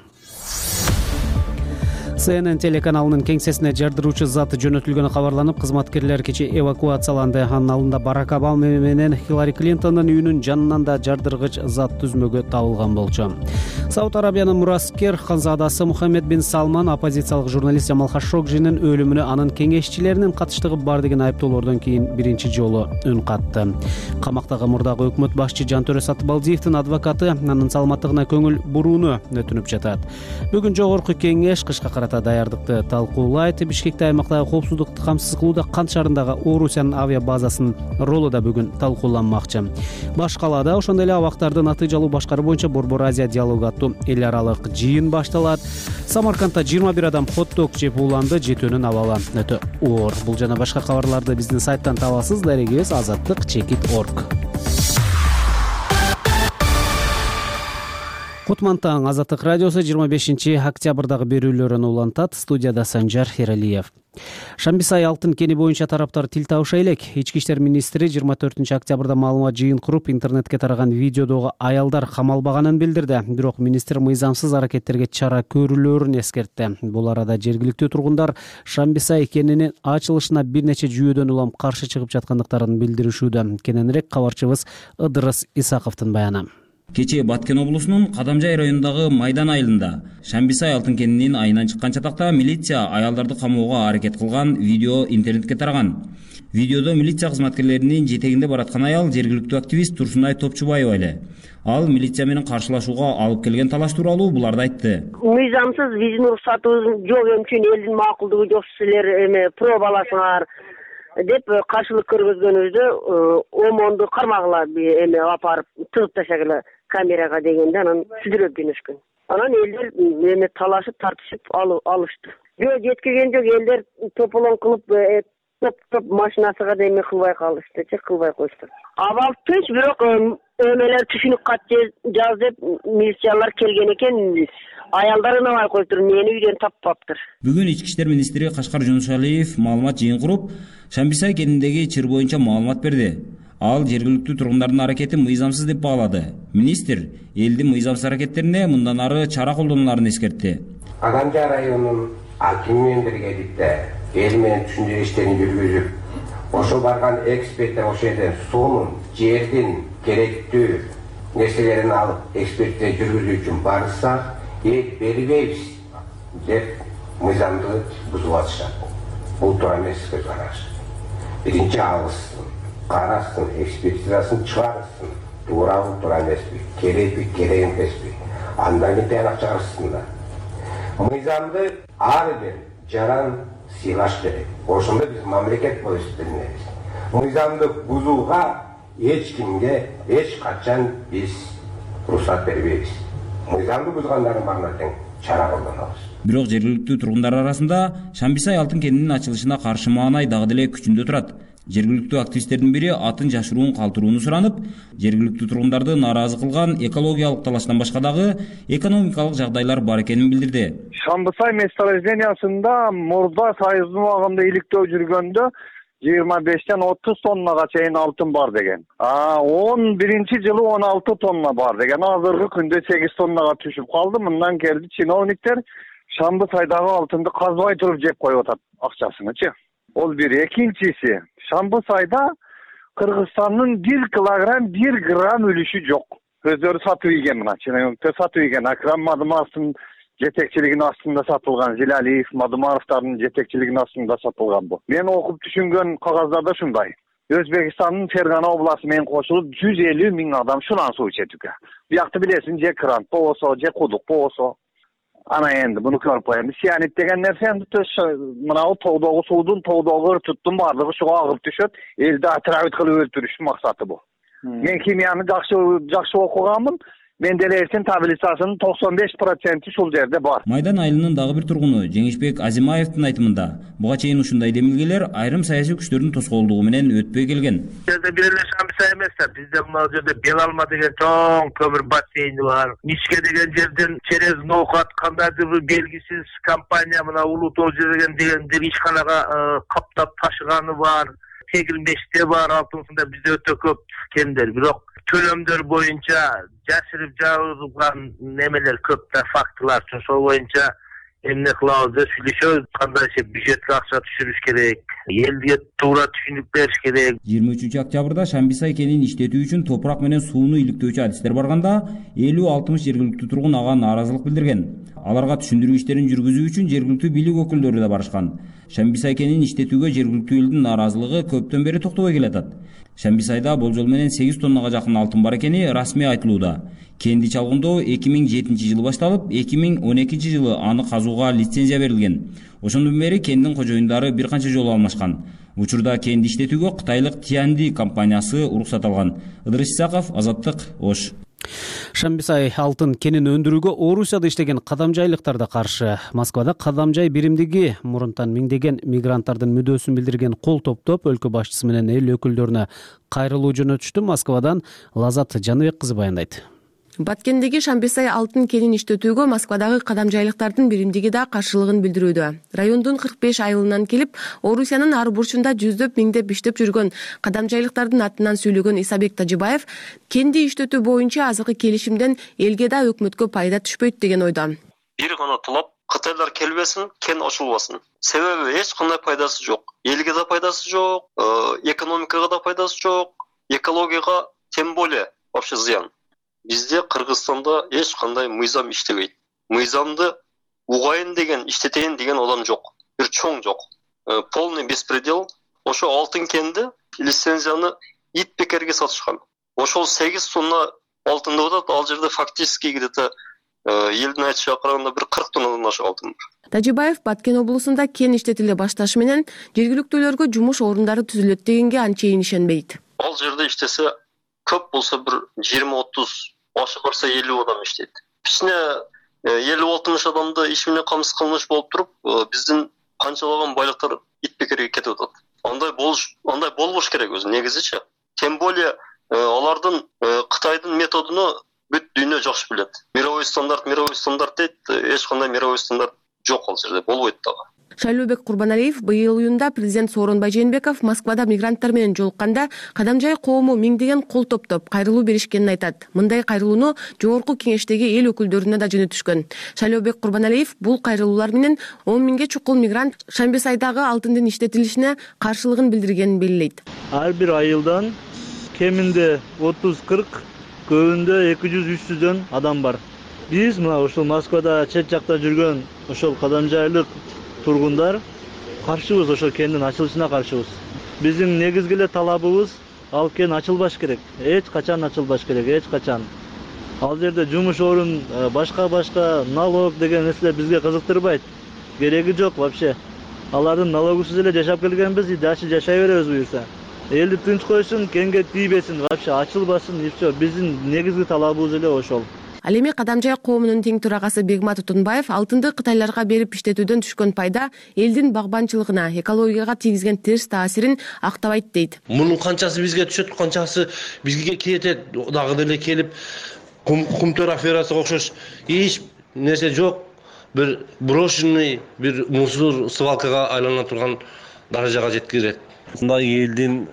A: CNN телеканалынын кеңсесине жардыруучу зат жөнөтүлгөнү кабарланып, кызматкерлер кечээ эвакуацияланды. Анын алдында Барак Обама менен Хиллари Клинтондун үйүнүн жанынан да жардыргыч зат түзмөгү табылган болчу. Сауд Арабиянын мураскер канзадасы Мухаммед бин Салман оппозициялык журналист Жамал Хашогжинин өлүмүнө анын кеңешчилеринин катыштыгы бар деген айыптоолордон кийин биринчи жолу үн катты. Камактагы мурдагы өкмөт башчы Жантөрө Сатыбалдиевдин адвокаты анын саламаттыгына көңүл бурууну өтүнүп жатат. Бүгүн жогорку кеңеш кышка карата даярдыкты талкуулайт. Бишкекте аймактагы коопсуздукту камсыз кылууда Кант шаарындагы Орусиянын авиа базасынын ролу да бүгүн талкууланмакчы. Баш калаада ошондой эле абактарды натыйжалуу башкаруу боюнча Борбор Азия диалогу аттуу эл аралык жыйын башталат. Самаркандта 21 адам хот-дог жеп ууланды. Жетөөнүн абалы өтө оор. Бул жана башка кабарларды биздин сайттан табасыз. Дарегибиз azattik.org. Кутман таң, Азаттык радиосу 25-октябрдагы берүүлөрүн улантат. Студияда Санжар Эралиев. Шамбисай алтын кени боюнча тараптар тил табыша элек. Ички иштер министри 24-октябрда маалымат жыйын куруп, интернетке тараган видеодогу аялдар камалбаганын билдирди. Бирок министр мыйзамсыз аракеттерге чара көрүлөөрүн эскертти. Бул арада жергиликтүү тургундар Шамбисай кенинин ачылышына бир нече жүйөдөн улам каршы чыгып жаткандыктарын билдиришүүдө. Кененирээк кабарчыбыз Ыдырыс Исаковдун баяны.
C: Кечээ Баткен облусунун Кадамжай районундагы Майдан айылында Шамбисай алтын кенинин айынан чыккан чатакта милиция аялдарды камоого аракет кылган видео интернетке тараган. Видеодо милиция кызматкерлеринин жетегинде бараткан аял жергиликтүү активист Турсунай Топчубаева эле. Ал милиция менен каршылашууга алып келген талаш тууралуу буларды айтты.
G: Мыйзамсыз биздин уруксатыбыз жок үчүн элдин макулдугу жок силер пробаласыңар деп каршылык көргөзгөнүбүздө омонду кармагыла апарып тыгып ташагыла камерага дегенде анан сүдүрөп жөнөшкөн. Анан элдер талашып тартышып алышты. Жөө жеткиген жок, элдер тополоң кылып топ машинасыга да кылбай калышты, кылбай коюшту. Абал түз, бирок өмелер түшүнүк кат жаз деп милициялар келген экен. Аялдар ынабай коюптур, мени үйдөн таппаптыр.
C: Бүгүн ички иштер министри Кашкар Жунушалиев маалымат жыйын куруп, Шамбисай кениндеги чыр боюнча маалымат берди. Ал жергиликтүү тургундардын аракети мыйзамсыз деп баалады. Министр элдин мыйзамсыз аракеттерине мындан ары чара колдонуларын эскертти.
H: Кадамжай районунун акими менен биргеликте эл менен түшүндүрүү иштерин жүргүзүп, ошо барган эксперттер ошол жерден суунун, жердин керектүү нерселерин алып экспертизе жүргүзүү үчүн барышса, эл бербейбиз деп мыйзамды бузуп атышат. Бул туура эмес көз караш. Биринчи алышсын, карасын, экспертизасын чыгарсын. Туурабы, туура эмеспи, керекпи, керек эмеспи. Андан кийин тыянак чыгарышсындар. Мыйзамды ар бир жаран сыйлаш керек. Ошондо биз мамлекет болуп эсептелебиз. Мыйзамды бузууга эч кимге эч качан биз уруксат бербейбиз. Мыйзамды бузгандардын баарына тең чара колдонобуз.
C: Бирок жергиликтүү тургундар арасында Шамбисай алтын кенинин ачылышына каршы маанай дагы деле күчүндө турат. Жергиликтүү активисттердин бири атын жашыруун калтырууну суранып, жергиликтүү тургундарды нааразы кылган экологиялык талаштан башка дагы экономикалык жагдайлар бар экенин билдирди.
S: Шамбисай месторождениясында мурда Союздун убагында иликтөө жүргөндө 25-тен 30 тоннага чейин алтын бар деген. 11-жылы 16 тонна бар деген. Азыркы күндө 8 тоннага түшүп калды. Мындан келди чиновниктер Шамбысайдагы алтынды казбай туруп жеп коюп атат акчасыны. Ол бир. Экинчиси, Шамбысайда Кыргызстандын 1 килограмм 1 грамм үлүшү жок. Өздөрү сатып ийген мына чиновниктер сатып ийген. Акрам Мадымаровдун жетекчилигинин астында сатылган, Зилалиев, Мадымаровдардын жетекчилигинин астында сатылган бу. Мен окуп түшүнгөн кагаздарда ушундай. Өзбекстандын Фергана областы менен кошулуп 150 миң адам шунан суу ичет экен. Биякты билесиң, же крант болбосо, же кудук болбосо. Ана энди муну көрүп коем. Сианит деген нерсе энди мынау тоодогу суудун, тоодогу ыртыттын баардыгы шуга агып түшөт. Элди отравить кылып өлтүрүштүн максаты бул. Мен химияны жакшы окуганмын. Мен деле эртең таблицасынын 95% ушул жерде бар.
C: Майдан айылынын дагы бир тургуну Жеңишбек Азимаевдин айтымында буга чейин ушундай демилгелер айрым саясий күчтөрдүн тоскоолдугу менен өтпөй келген.
D: Жерде бир эле Шамбиса эмес да, бизде мына жерде Белалма деген чоң көмүр бассейни бар. Мишке деген жерден через Ноокат кандайдыр бир белгисиз компания мына Улуу Тоо деген ишканага каптап ташыганы бар. Тегилмеште бар, алтынсында бизде өтө көп кемдер. Бирок төлөмдөр боюнча жашырып жабылган немелер көп да, фактылар. Ошол боюнча эмне кылабыз деп сүйлөшөбүз. Кандайча бюджетке акча түшүрүш керек, элге туура түшүнүк бериш керек.
C: 23 октябрда Шамбиса кенин иштетүү үчүн топурак менен сууну иликтөөчү адистер барганда 50-60 жергиликтүү тургун ага нааразылык билдирген. Аларга түшүндүрүү иштерин жүргүзүү үчүн жергиликтүү бийлик өкүлдөрү да барышкан. Шамбиса кенин иштетүүгө жергиликтүү элдин нааразылыгы көптөн бери токтобой келатат. Шамбисайда болжол менен 8 тоннага жакын алтын бар экени расмий айтылууда. Кенди чалгындоо 2007-жылы башталып, 2012-жылы аны казууга лицензия берилген. Ошондон бери кендин кожоюндары бир канча жолу алмашкан. Учурда кенди иштетүүгө кытайлык Тианди компаниясы уруксат алган. Ыдырыс Исаков, Азаттык, Ош.
A: Шамбисай алтын кенин өндүрүүгө Орусияда иштеген кадамжайлыктар да каршы. Москвада кадамжай биримдиги мурунтан миңдеген мигранттардын мүдөөсүн билдирген кол топтоп өлкө башчысы менен эл өкүлдөрүнө кайрылуу жөнөтүштү. Москвадан Лазат Жаныбек кызы баяндайт.
I: Баткендеги Шамбисай алтын кенин иштетүүгө Москвадагы кадамжайлыктардын биримдиги да каршылыгын билдирүүдө. Райондун 45 айылынан келип, Орусиянын ар бурчунда жүздөп миңдеп иштеп жүргөн кадамжайлыктардын атынан сүйлөгөн Исабек Тажибаев кенди иштетүү боюнча азыркы келишимден элге да өкмөткө пайда түшпөйт деген ойдо.
J: Бир гана талап кытайлар келбесин, кен ачылбасын. Себеби эч кандай пайдасы жок. Элге да пайдасы жок, экономикага да пайдасы жок, экологияга тем более вообще зыян. Бизде Кыргызстанда эч кандай мыйзам иштебейт. Мыйзамды угайын деген, иштетейин деген адам жок. Бир чоң жок. Полный беспредел. Ошо алтын кенди лицензияны ит бекерге сатышкан. Ошол 8 тонна алтын деп атат, ал жерде фактически где-то элдин айтышына караганда бир 40 тоннадан ашык алтын бар.
I: Тажибаев Баткен облусунда кен иштетиле башташы менен жергиликтүүлөргө жумуш орундары түзүлөт дегенге анчейин ишенбейт.
J: Ал жерде иштесе көп болсо бир 20-30, ошо барса 50 адам иштейт. Кичине 50-60 адамды иш менен камсыз кылмыш болуп туруп, биздин канчалаган байлыктар ит бекерге кетип атат. Андай болбош керек өзү негизичи. Тем более алардын Кытайдын методуну бүт дүйнө жакшы билет. Мировой стандарт дейт, эч кандай мировой стандарт жок ал жерде, болбойт дагы.
I: Шайлообек Курбаналиев быйыл июнда президент Сооронбай Жээнбеков Москвада мигранттар менен жолукканда кадамжай коому миңдеген кол топтоп кайрылуу беришкенин айтат. Мындай кайрылууну жогорку кеңештеги эл өкүлдөрүнө да жөнөтүшкөн. Шайлообек Курбаналиев бул кайрылуулар менен 10 миңге чукул мигрант Шамбисайдагы алтындын иштетилишине каршылыгын билдиргенин белгилейт.
X: Ар бир айылдан кеминде 30-40, көбүндө 200-300 адам бар. Биз мына ушул Москвада чет жакта жүргөн ошол кадамжайлык тургундар каршыбыз, ошол кендин ачылышына каршыбыз. Биздин негизги эле талабыбыз ал кен ачылбаш керек. Эч качан ачылбаш керек, эч качан. Ал жерде жумуш орун, башка налог деген нерселер бизге кызыктырбайт. Кереги жок вообще. Алардын налогусуз эле жашап келгенбиз, дальше жашай беребиз буюрса. Элди тынч койсун, кенге тийбесин, вообще ачылбасын, и все. Биздин негизги талабыбыз эле ошол.
I: Ал эми кадамжай коомунун тең төрагасы Бегмат Утунбаев алтынды кытайларга берип иштетүүдөн түшкөн пайда элдин багбанчылыгына, экологияга тийгизген терс таасирин актабайт дейт.
Y: Мунун канчасы бизге түшөт, канчасы бизге кетет, дагы деле келип кумтөр аферасына окшош эч нерсе жок. Бир брошенный, бир мусор свалкага айлана турган даражага жеткирет.
Z: Мындай элдин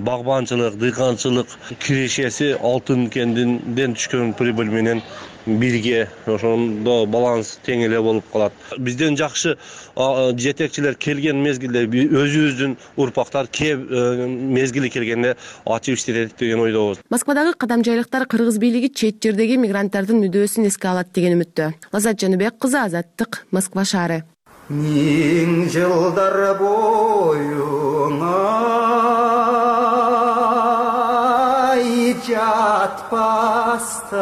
Z: багбанчылык, дыйканчылык кирешеси алтын кендинден түшкөн прибыль менен бирге ошондо баланс тең эле болуп калат. Бизден жакшы жетекчилер келген мезгилде өзүбүздүн урпактар мезгили келгенде ачып иштетет деген ойдобуз.
I: Москвадагы кадамжайлыктар кыргыз бийлиги чет жердеги мигранттардын мүдөөсүн эске алат деген үмүттө. Лазат Жаныбек кызы, Азаттык, Москва шаары.
K: миң жылдар боюңа жатпастан.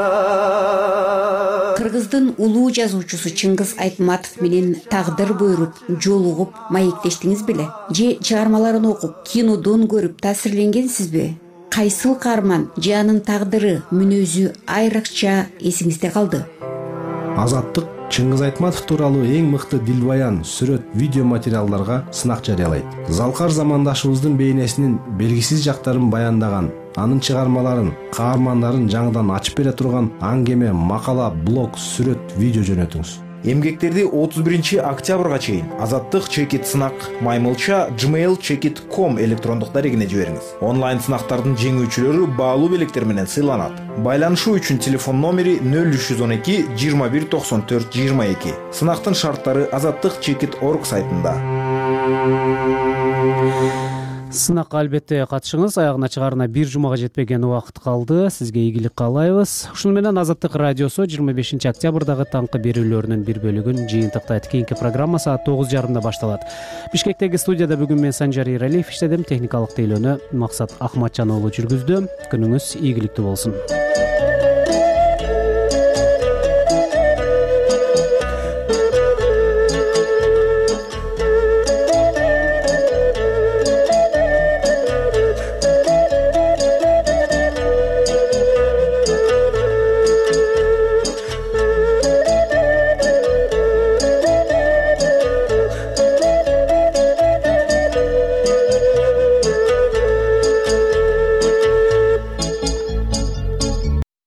R: Кыргыздын улуу жазуучусу Чыңгыз Айтматов менен тагдыр буйруп жолугуп маектештиңиз беле? Же чыгармаларын окуп, кинодон көрүп таасирленгенсизби? Кайсыл каарман же анын тагдыры, мүнөзү айрыкча эсиңизде калды?
L: Азаттык Чыңгыз Айтматов тууралуу эң мыкты дилбаян, сүрөт, видео материалдарга сынак жарыялайт. Залкар замандашыбыздын бейнесинин белгисиз жактарын баяндаган, анын чыгармаларын, каармандарын жаңыдан ачып бере турган аңгеме, макала, блог, сүрөт, видео жөнөтүңүз.
M: Эмгектерди 31 октябрга чейин Азаттык чекит сынак маймылча gmail.com электрондук дарегине жибериңиз. Онлайн сынактардын жеңүүчүлөрү баалуу белектер менен сыйланат. Байланышуу үчүн телефон номери 0312 21 94 22. Сынактын шарттары azattikchekit.org сайтында.
A: Сынакка албетте катышыңыз. Аягына чыгарына бир жумага жетпеген убакыт калды. Сизге ийгилик каалайбыз. Ушуну менен Азаттык радиосу 25 октябрдагы таңкы берүүлөрүнүн бир бөлүгүн жыйынтыктайт. Кийинки программа саат 9:30 башталат. Бишкектеги студияда бүгүн мен Санжар Иралиев иштедим. Техникалык тейлөөнү Максат Ахматжан уулу жүргүздү. Күнүңүз ийгиликтүү болсун.